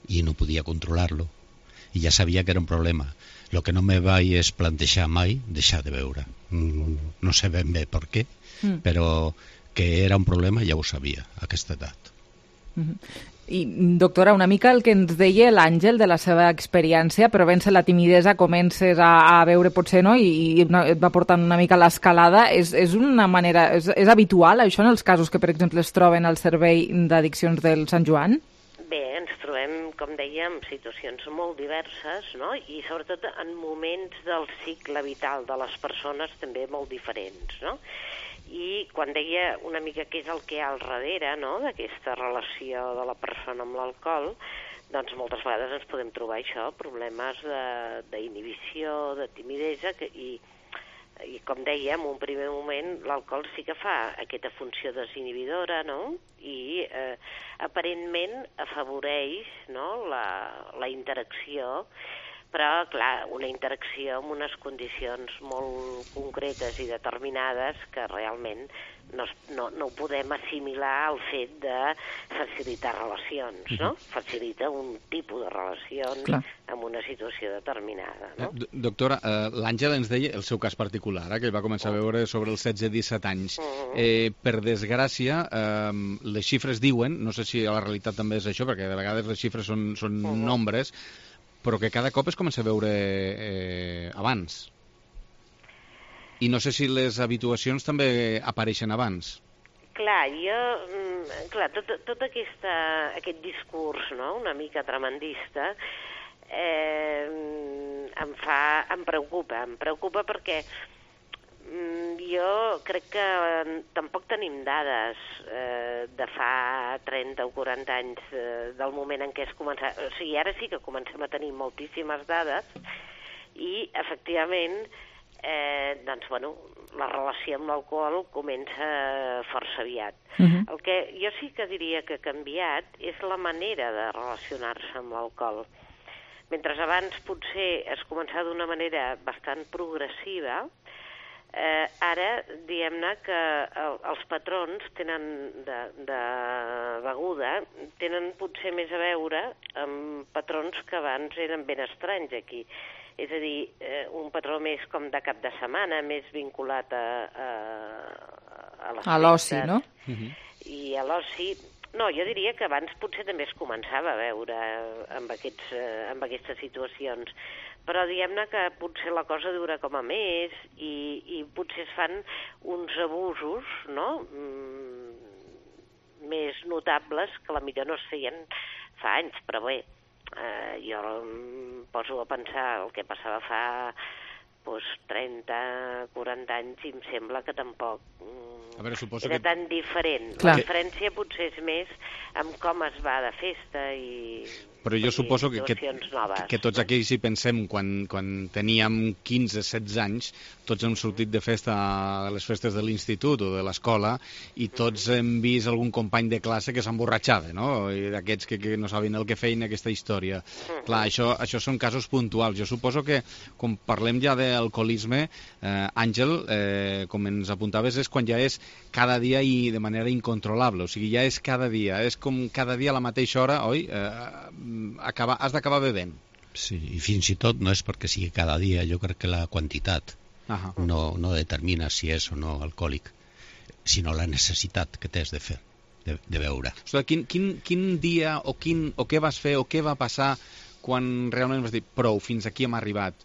i no podia controlar-lo, i ja sabia que era un problema. El que no me vaig plantejar mai, deixar de beure. No sé ben bé per què, però que era un problema ja ho sabia, a aquesta edat. I, doctora, una mica el que ens deia l'Àngel de la seva experiència, però vèncer la timidesa, comences a veure potser, no?, i et va portant una mica l'escalada. És una manera, és habitual això en els casos que, per exemple, es troben al servei d'addiccions del Sant Joan? Bé, ens trobem, com dèiem, situacions molt diverses, no?, i sobretot en moments del cicle vital de les persones també molt diferents, no?, i quan deia una mica què és el que hi ha al darrere, no?, d'aquesta relació de la persona amb l'alcohol, doncs moltes vegades ens podem trobar això, problemes d'inhibició, de timidesa, i com dèiem, en un primer moment l'alcohol sí que fa aquesta funció desinhibidora, no?, i aparentment afavoreix, no?, la interacció, però, clar, una interacció amb unes condicions molt concretes i determinades que realment no ho podem assimilar al fet de facilitar relacions, no? Facilita un tipus de relacions en una situació determinada, no? Doctora, l'Àngel ens deia el seu cas particular, que ell va començar a veure sobre els 16-17 anys. Per desgràcia, les xifres diuen, no sé si a la realitat també és això, perquè de vegades les xifres són nombres, però que cada cop es comença a veure abans. I no sé si les habituacions també apareixen abans. Clar, tot aquest discurs, no?, una mica tremendista, em preocupa perquè jo crec que tampoc tenim dades de fa 30 o 40 anys del moment en què es comença. O sigui, ara sí que comencem a tenir moltíssimes dades i, efectivament, doncs, bueno, la relació amb l'alcohol comença força aviat. El que jo sí que diria que ha canviat és la manera de relacionar-se amb l'alcohol. Mentre abans potser es començava d'una manera bastant progressiva, ara, diguem-ne que els patrons de beguda tenen potser més a veure amb patrons que abans eren ben estranys aquí. És a dir, un patró més com de cap de setmana, més vinculat a les l'oci, no? I a l'oci... No, jo diria que abans potser també es començava a veure amb aquestes situacions, però diguem-ne que potser la cosa dura com a més i potser es fan uns abusos, no?, més notables que la millor no es feien fa anys, però bé, jo em poso a pensar el que passava fa 30, 40 anys i em sembla que tampoc era tan diferent. La diferència potser és més amb com es va de festa i però jo suposo que tots aquells hi pensem quan teníem 15-16 anys, tots hem sortit de festa a les festes de l'institut o de l'escola i tots hem vist algun company de classe que s'emborratxava, no? I d'aquests que no sabien el que feien aquesta història. Clar, això són casos puntuals. Jo suposo que, com parlem ja d'alcoholisme, Àngel, com ens apuntaves, és quan ja és cada dia i de manera incontrolable. O sigui, ja és cada dia. És com cada dia a la mateixa hora, oi? Has d'acabar bevent. Sí, i fins i tot no és perquè sigui cada dia, jo crec que la quantitat no determina si és o no alcohòlic, sinó la necessitat que tens de fer, de beure. O sigui, quin dia o què vas fer o què va passar quan realment vas dir prou, fins aquí hem arribat?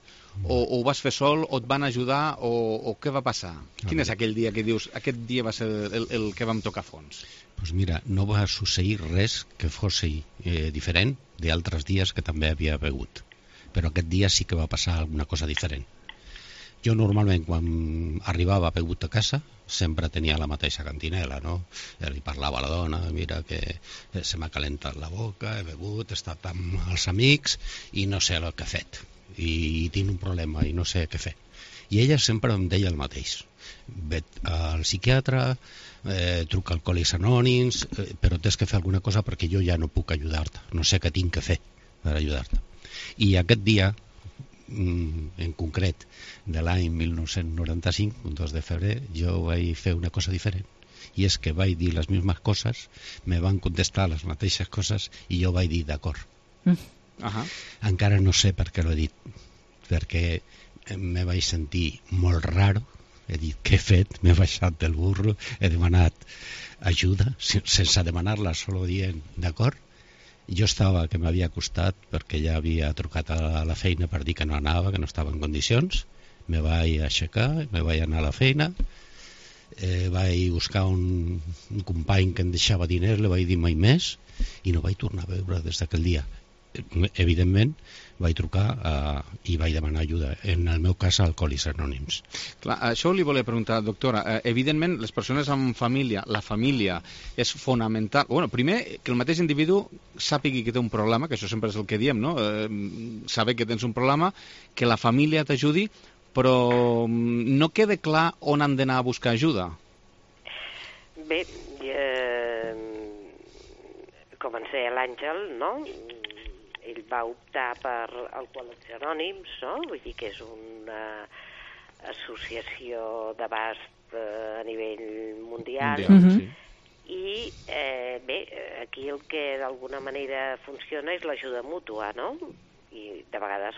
O ho vas fer sol, o et van ajudar, o què va passar? Quin és aquell dia que dius, aquest dia va ser el que vam tocar fons? Doncs mira, no va succeir res que fos diferent d'altres dies que també havia begut. Però aquest dia sí que va passar alguna cosa diferent. Jo normalment quan arribava begut a casa sempre tenia la mateixa cantinela, no? Li parlava a la dona, mira que se m'ha calentat la boca, he begut, he estat amb els amics i no sé el que he fet. I tinc un problema i no sé què fer. I ella sempre em deia el mateix. Vet al psiquiatre, truca al Alcohòlics Anònims, però tens que fer alguna cosa perquè jo ja no puc ajudar-te. No sé què tinc que fer per ajudar-te. I aquest dia, en concret, de l'any 1995, un 2 de febrer, jo vaig fer una cosa diferent. I és que vaig dir les mismes coses, me van contestar les mateixes coses i jo vaig dir d'acord. Encara no sé per què l'he dit, perquè me vaig sentir molt raro, he dit què he fet, m'he baixat del burro, he demanat ajuda, sense demanar-la, solo dient d'acord. Jo estava que m'havia costat perquè ja havia trucat a la feina per dir que no anava, que no estava en condicions, me vaig aixecar, me vaig anar a la feina, vaig buscar un company que em deixava diners, li vaig dir mai més i no vaig tornar a veure des d'aquell dia. Evidentment vaig trucar i vaig demanar ajuda, en el meu cas a Alcohòlics Anònims. Clar, això li volia preguntar, doctora. Evidentment, les persones amb família, la família és fonamental. Bueno, primer, que el mateix individu sàpigui que té un problema, que això sempre és el que diem, no? Saber que tens un problema, que la família t'ajudi, però no queda clar on han d'anar a buscar ajuda. Bé, com ens deia l'Àngel, no?, ell va optar per Alcohòlics Anònims, no? Vull dir que és una associació d'abast a nivell mundial. I bé, aquí el que d'alguna manera funciona és l'ajuda mútua, no? I de vegades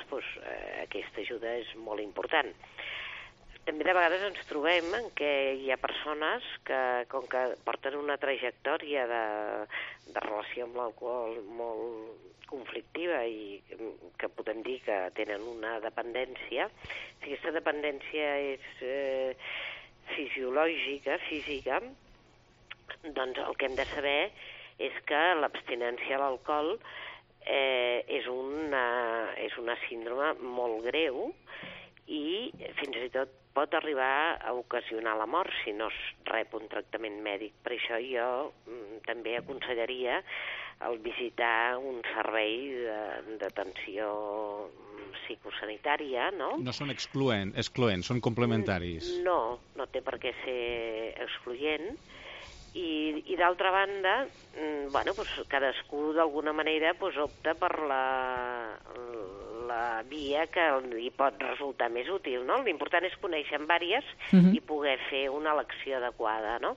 aquesta ajuda és molt important. També de vegades ens trobem en què hi ha persones que, com que porten una trajectòria de relació amb l'alcohol molt conflictiva i que podem dir que tenen una dependència, si aquesta dependència és fisiològica, física, doncs el que hem de saber és que l'abstinència a l'alcohol és una síndrome molt greu i fins i tot pot arribar a ocasionar la mort si no es rep un tractament mèdic. Per això jo també aconsellaria el visitar un servei d'atenció psicosanitària, no? No són excloents, són complementaris. No té per què ser excloent. I d'altra banda, cadascú d'alguna manera opta per la via que li pot resultar més útil, no? L'important és conèixer en vàries i poder fer una elecció adequada, no?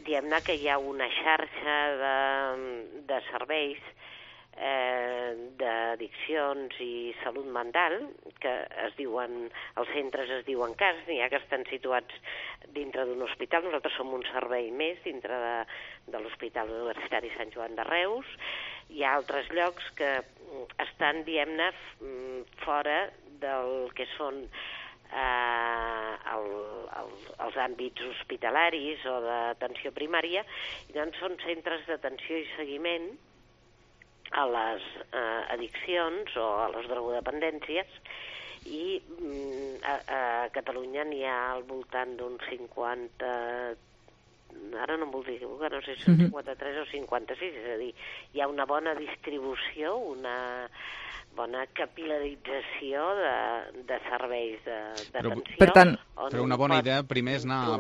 Diguem-ne que hi ha una xarxa de serveis d'addiccions i salut mental que es diuen, els centres es diuen CAS, n'hi ha que estan situats dintre d'un hospital. Nosaltres som un servei més dintre de l'Hospital Universitari Sant Joan de Reus. Hi ha altres llocs que estan, diguem-ne, fora del que són els àmbits hospitalaris o d'atenció primària, i doncs són centres d'atenció i seguiment a les addiccions o a les drogodependències, i a Catalunya n'hi ha al voltant d'uns 50, ara no em vull dir, no sé si són 53 o 56, és a dir, hi ha una bona distribució, una bona capilarització de serveis d'atenció. Per tant, però una bona idea primer és anar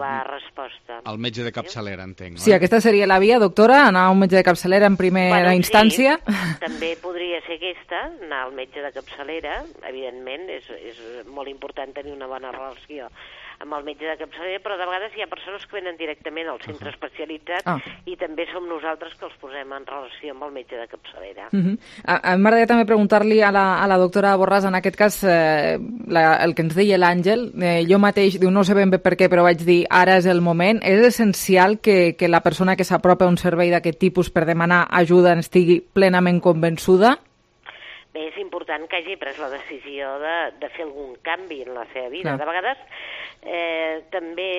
al metge de capçalera, entenc. Sí, aquesta seria la via, doctora, anar a un metge de capçalera en primera instància. Sí, també podria ser aquesta, anar al metge de capçalera. Evidentment, és molt important tenir una bona relació amb el metge de capçalera, però de vegades hi ha persones que venen directament al centre especialitzat i també som nosaltres que els posem en relació amb el metge de capçalera. A mi m'agradaria també preguntar-li a la doctora Borràs, en aquest cas, el que ens deia l'Àngel, jo mateix, no sé ben bé per què, però vaig dir, ara és el moment. És essencial que la persona que s'apropa a un servei d'aquest tipus per demanar ajuda estigui plenament convençuda? Bé, és important que hagi pres la decisió de fer algun canvi en la seva vida. De vegades, també,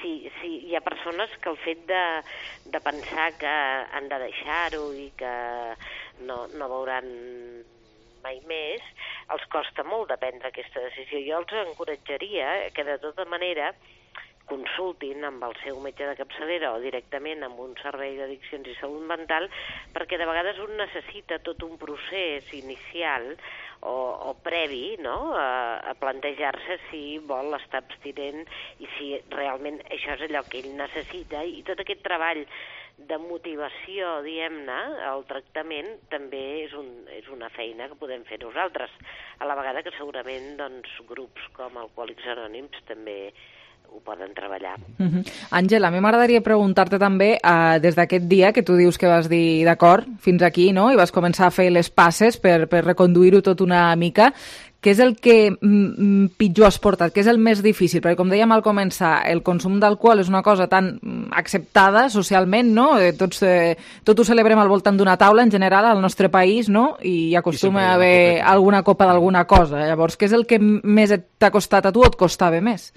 si hi ha persones que el fet de pensar que han de deixar-ho i que no veuran mai més, els costa molt de prendre aquesta decisió. Jo els encoratjaria que de tota manera consultin amb el seu metge de capçalera o directament amb un servei d'addiccions i salut mental, perquè de vegades un necessita tot un procés inicial o previ, no?, a plantejar-se si vol estar abstinent i si realment això és allò que ell necessita, i tot aquest treball de motivació, diguem-ne, al tractament també és una feina que podem fer nosaltres, a la vegada que segurament doncs, grups com Alcohòlics Anònims també ho poden treballar. Àngel, a mi m'agradaria preguntar-te també, des d'aquest dia que tu dius que vas dir d'acord fins aquí, no?, i vas començar a fer les passes per reconduir-ho tot una mica, què és el que pitjor has portat? Què és el més difícil? Perquè, com dèiem al començar, el consum d'alcohol és una cosa tan acceptada socialment, no? Tot ho celebrem al voltant d'una taula, en general, al nostre país, no? I acostuma a haver alguna copa d'alguna cosa. Llavors, què és el que més t'ha costat a tu o et costava més?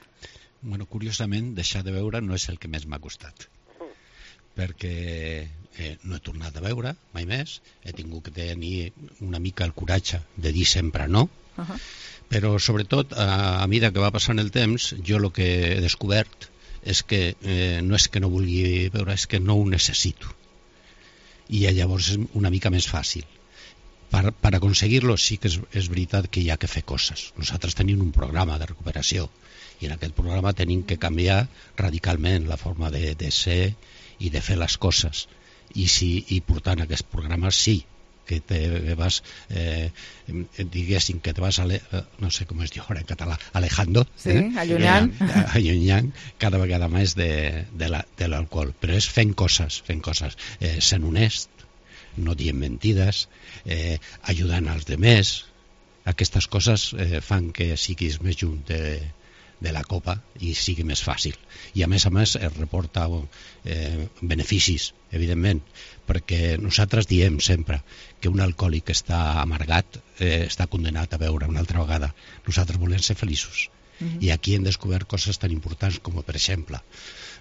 Bueno, curiosament, deixar de beure no és el que més m'ha costat, perquè no he tornat a beure mai més, he tingut que tenir una mica el coratge de dir sempre no, però sobretot a mesura que va passant el temps, jo el que he descobert és que no és que no vulgui beure, és que no ho necessito, i llavors és una mica més fàcil. Per aconseguir-lo sí que és veritat que hi ha que fer coses. Nosaltres tenim un programa de recuperació i en aquest programa tenim que canviar radicalment la forma de ser i de fer les coses. I portant aquest programa sí que te vas, diguéssim, que te vas, no sé com es diu ara en català, alejando, allunyant cada vegada més de l'alcohol. Però és fent coses, sent honest, no dient mentides, ajudant als demés. Aquestes coses fan que siguis més junt de la copa i sigui més fàcil. I a més es reporta beneficis, evidentment, perquè nosaltres diem sempre que un alcohòlic que està amargat està condenat a beure una altra vegada. Nosaltres volem ser feliços. I aquí hem descobert coses tan importants com, per exemple,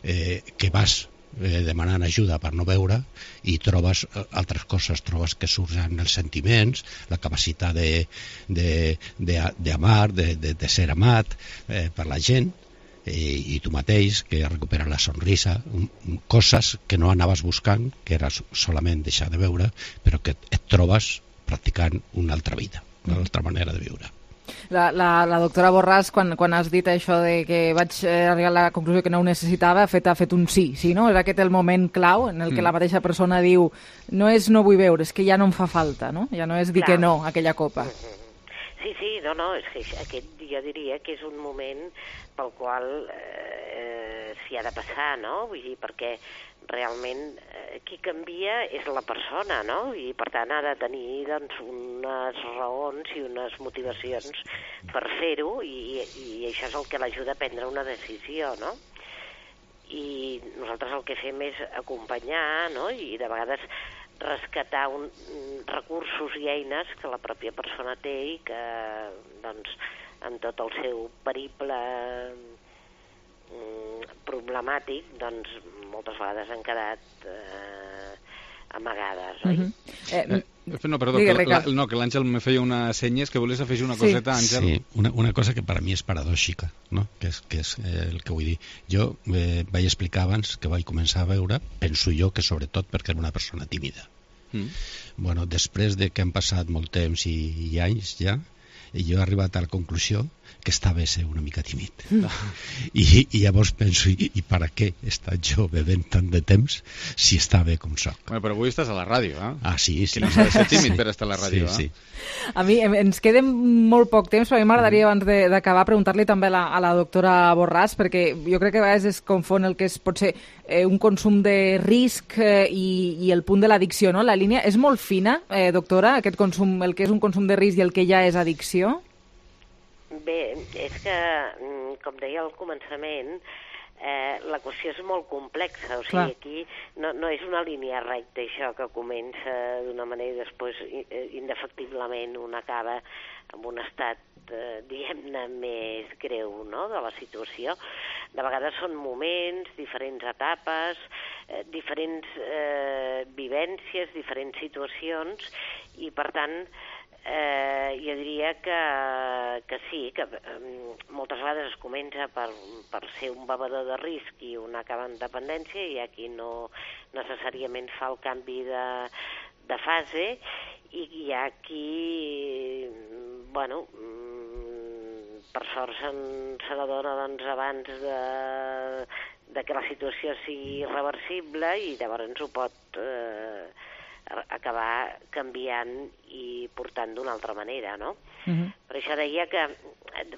que vas demanant ajuda per no beure i trobes altres coses, trobes que surten els sentiments, la capacitat d'amar, de ser amat per la gent, i tu mateix, que recuperes la sonrisa, coses que no anaves buscant, que era solament deixar de beure, però que et trobes practicant una altra vida, una altra manera de viure. La doctora Borràs, quan has dit això de que vaig arribar a la conclusió que no ho necessitava, ha fet un sí, no? És aquest el moment clau en el que la mateixa persona diu no és no vull beure, és que ja no em fa falta, no? Ja no és dir que no a aquella copa. Sí, no, és que aquest jo diria que és un moment pel qual s'hi ha de passar, no? Vull dir, perquè realment qui canvia és la persona, no? I per tant ha de tenir doncs, unes raons i unes motivacions per fer-ho, i això és el que l'ajuda a prendre una decisió, no? I nosaltres el que fem és acompanyar, no? I de vegades rescatar recursos i eines que la pròpia persona té i que, doncs, en tot el seu periple problemàtic, doncs, moltes vegades han quedat amagades, oi? No, perdó, que l'Àngel me feia una senyes, que volies afegir una coseta, Àngel. Sí, una cosa que per a mi és paradòxica, no? que és el que vull dir. Jo vaig explicar abans que vaig començar a veure, penso jo que sobretot perquè era una persona tímida. Bueno, després de que han passat molt temps i anys ja, jo he arribat a la conclusió que està bé ser una mica tímid. I llavors penso, i per a què he estat jo bevent tant de temps si està bé com soc? Bueno, però avui estàs a la ràdio, eh? Ah, sí. Que no s'ha de ser tímid per estar a la ràdio, sí. A mi ens queda molt poc temps, però a mi m'agradaria abans d'acabar preguntar-li també a la doctora Borràs, perquè jo crec que a vegades es confon el que és potser un consum de risc i el punt de l'addicció, no? La línia és molt fina, doctora, aquest consum, el que és un consum de risc i el que ja és addicció? Bé, és que, com deia al començament, la qüestió és molt complexa, o sigui, aquí no és una línia recta això que comença d'una manera i després indefectiblement un acaba amb un estat, diguem-ne, més greu, no?, de la situació. De vegades són moments, diferents etapes, diferents vivències, diferents situacions, i per tant jo diria que sí, que moltes vegades es comença per ser un bevedor de risc i un acaba en dependència, i aquí no necessàriament fa el canvi de fase, i hi ha qui, bueno, per sort se n'adona doncs, abans de que la situació sigui irreversible, i llavors ho pot acabar canviant i portant d'una altra manera, no? Per això deia que,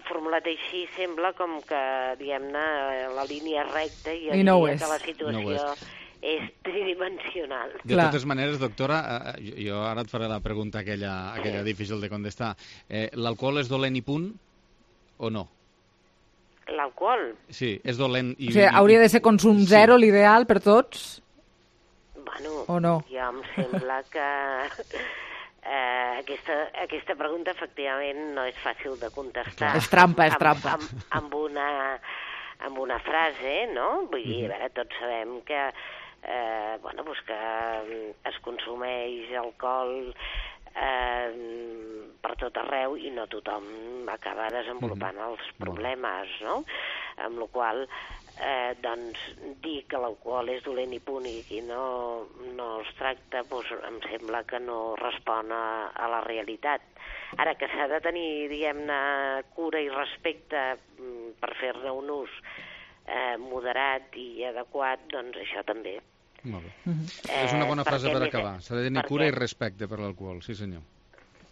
formulat així, sembla com que, diguem-ne, la línia recta, i jo diria que la situació és tridimensional. De totes maneres, doctora, jo ara et faré la pregunta aquella difícil de contestar. L'alcohol és dolent i punt o no? L'alcohol? Sí, és dolent i... O sigui, hauria de ser consum zero l'ideal per tots? Bueno, o no? Jo em sembla que aquesta pregunta efectivament no és fàcil de contestar. És trampa, és trampa. Amb una frase, no? Vull dir, a veure, tots sabem que, bueno, doncs que es consumeix alcohol per tot arreu i no tothom acaba desenvolupant els problemes, no? Amb la qual doncs dir que l'alcohol és dolent i punt i qui no es tracta, doncs em sembla que no respon a la realitat. Ara, que s'ha de tenir, diguem-ne, cura i respecte per fer-ne un ús moderat i adequat, doncs això també. Molt bé. És una bona frase per acabar. S'ha de tenir cura i respecte per l'alcohol, sí senyor.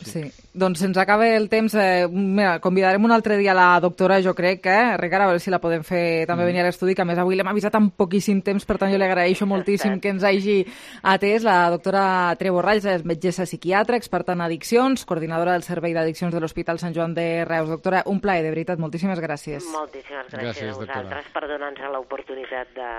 Sí, doncs se'ns acaba el temps. Mira, convidarem un altre dia la doctora, jo crec, Ricard, a veure si la podem fer també venir a l'estudi, que a més avui l'hem avisat amb poquíssim temps, per tant jo li agraeixo moltíssim que ens hagi atès. La doctora Tere Borràs és metgessa psiquiatra, experta en addiccions, coordinadora del Servei d'Addiccions de l'Hospital Sant Joan de Reus. Doctora, un plaer, de veritat, moltíssimes gràcies. Moltíssimes gràcies a vosaltres per donar-nos l'oportunitat de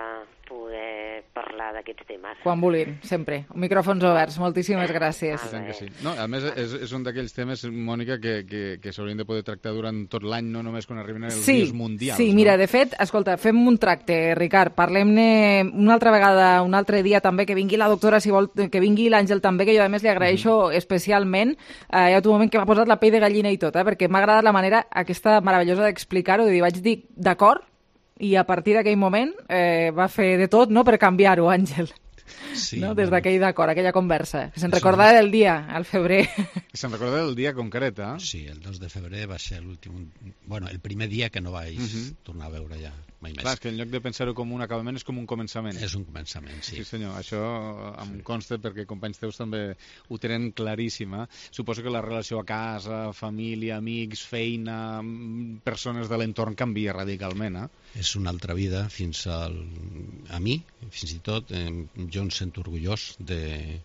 poder parlar d'aquests temes. Quan vulguin, sempre. Micròfons oberts. Moltíssimes gràcies. Sí. No, a més, és un d'aquells temes, Mònica, que s'haurien de poder tractar durant tot l'any, no només quan arriben els dies mundials. Sí, mira, de fet, escolta, fem un tracte, Ricard, parlem-ne una altra vegada, un altre dia també, que vingui la doctora, si vol, que vingui l'Àngel també, que jo a més li agraeixo especialment. Hi ha un moment que m'ha posat la pell de gallina i tot, perquè m'ha agradat la manera aquesta meravellosa d'explicar-ho, i vaig dir d'acord, i a partir d'aquell moment va fer de tot, no?, per canviar-ho, Àngel. Sí, no? Des d'aquell d'acord, aquella conversa. Se'n recordava del dia, al febrer. Se'n recordava del dia concret, eh? Sí, el 2 de febrer va ser l'últim... Bueno, el primer dia que no vaig tornar a veure ja mai més. Clar, és que en lloc de pensar-ho com un acabament és com un començament. És un començament, sí. Sí, senyor, això em consta perquè companys teus també ho tenen claríssima. Suposo que la relació a casa, família, amics, feina, persones de l'entorn canvia radicalment, eh? És una altra vida fins al... A mi, fins i tot, jo em sento orgullós de...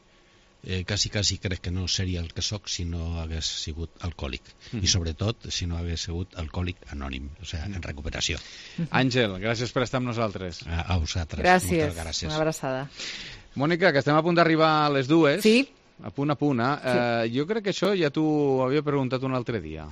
Quasi crec que no seria el que sóc si no hagués sigut alcohòlic. I sobretot si no hagués sigut alcohòlic anònim, o sigui, en recuperació. Àngel, gràcies per estar amb nosaltres. A vosaltres. Gràcies. Moltes gràcies. Una abraçada. Mònica, que estem a punt d'arribar a les 2. Sí. A punt. Jo crec que això ja t'ho havia preguntat un altre dia.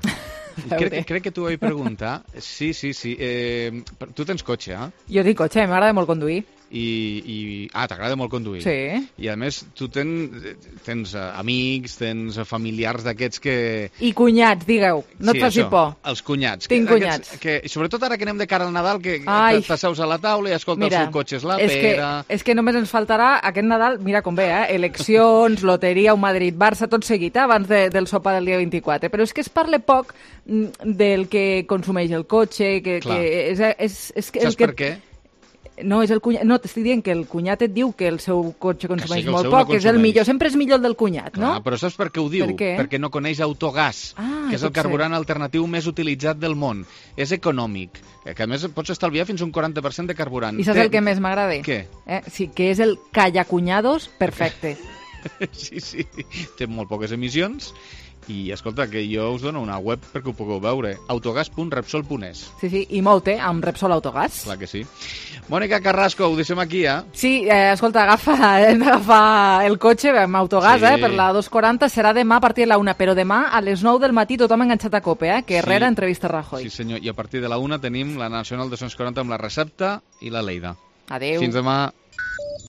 Crec que t'ho havia preguntat. Sí. Tu tens cotxe, eh? Jo dic cotxe, m'agrada molt conduir. T'agrada molt conduir. Sí. I a més, tu tens amics, tens familiars d'aquests que... I cunyats, digueu, no et faci por. Els cunyats. Tinc cunyats. Sobretot ara que anem de cara al Nadal, que t'asseus a la taula i escolta, el seu cotxe és la pera... És que només ens faltarà aquest Nadal, mira com ve, eleccions, loteria, un Madrid-Barça, tot seguit, abans del sopar del dia 24. Però és que es parla poc del que consumeix el cotxe, que Saps per què? No, és el cunyat. No, t'estic dient que el cunyat et diu que el seu cotxe consumeix molt poc, que és el millor. Sempre és millor el del cunyat, no? Clar, però saps per què ho diu? Perquè no coneix Autogàs, que és el carburant alternatiu més utilitzat del món. És econòmic, que a més pots estalviar fins un 40% de carburant. I saps el que més m'agrada? Què? Sí, que és el Callacuñados perfecte. Sí. Té molt poques emissions. I, escolta, que jo us dono una web perquè ho pugueu veure. autogas.repsol.es. Sí, i molt, amb Repsol Autogàs. Clar que sí. Mònica Carrasco, ho deixem aquí, Sí, escolta, hem d'agafar el cotxe amb Autogàs, per la 2:40. Serà demà a partir de la 1, però demà a les 9 del matí tothom enganxat a COPE, que Herrera entrevista Rajoy. Sí, senyor, i a partir de la 1 tenim la Nacional 240 amb la Recepta i la Lleida. Adéu. Fins demà.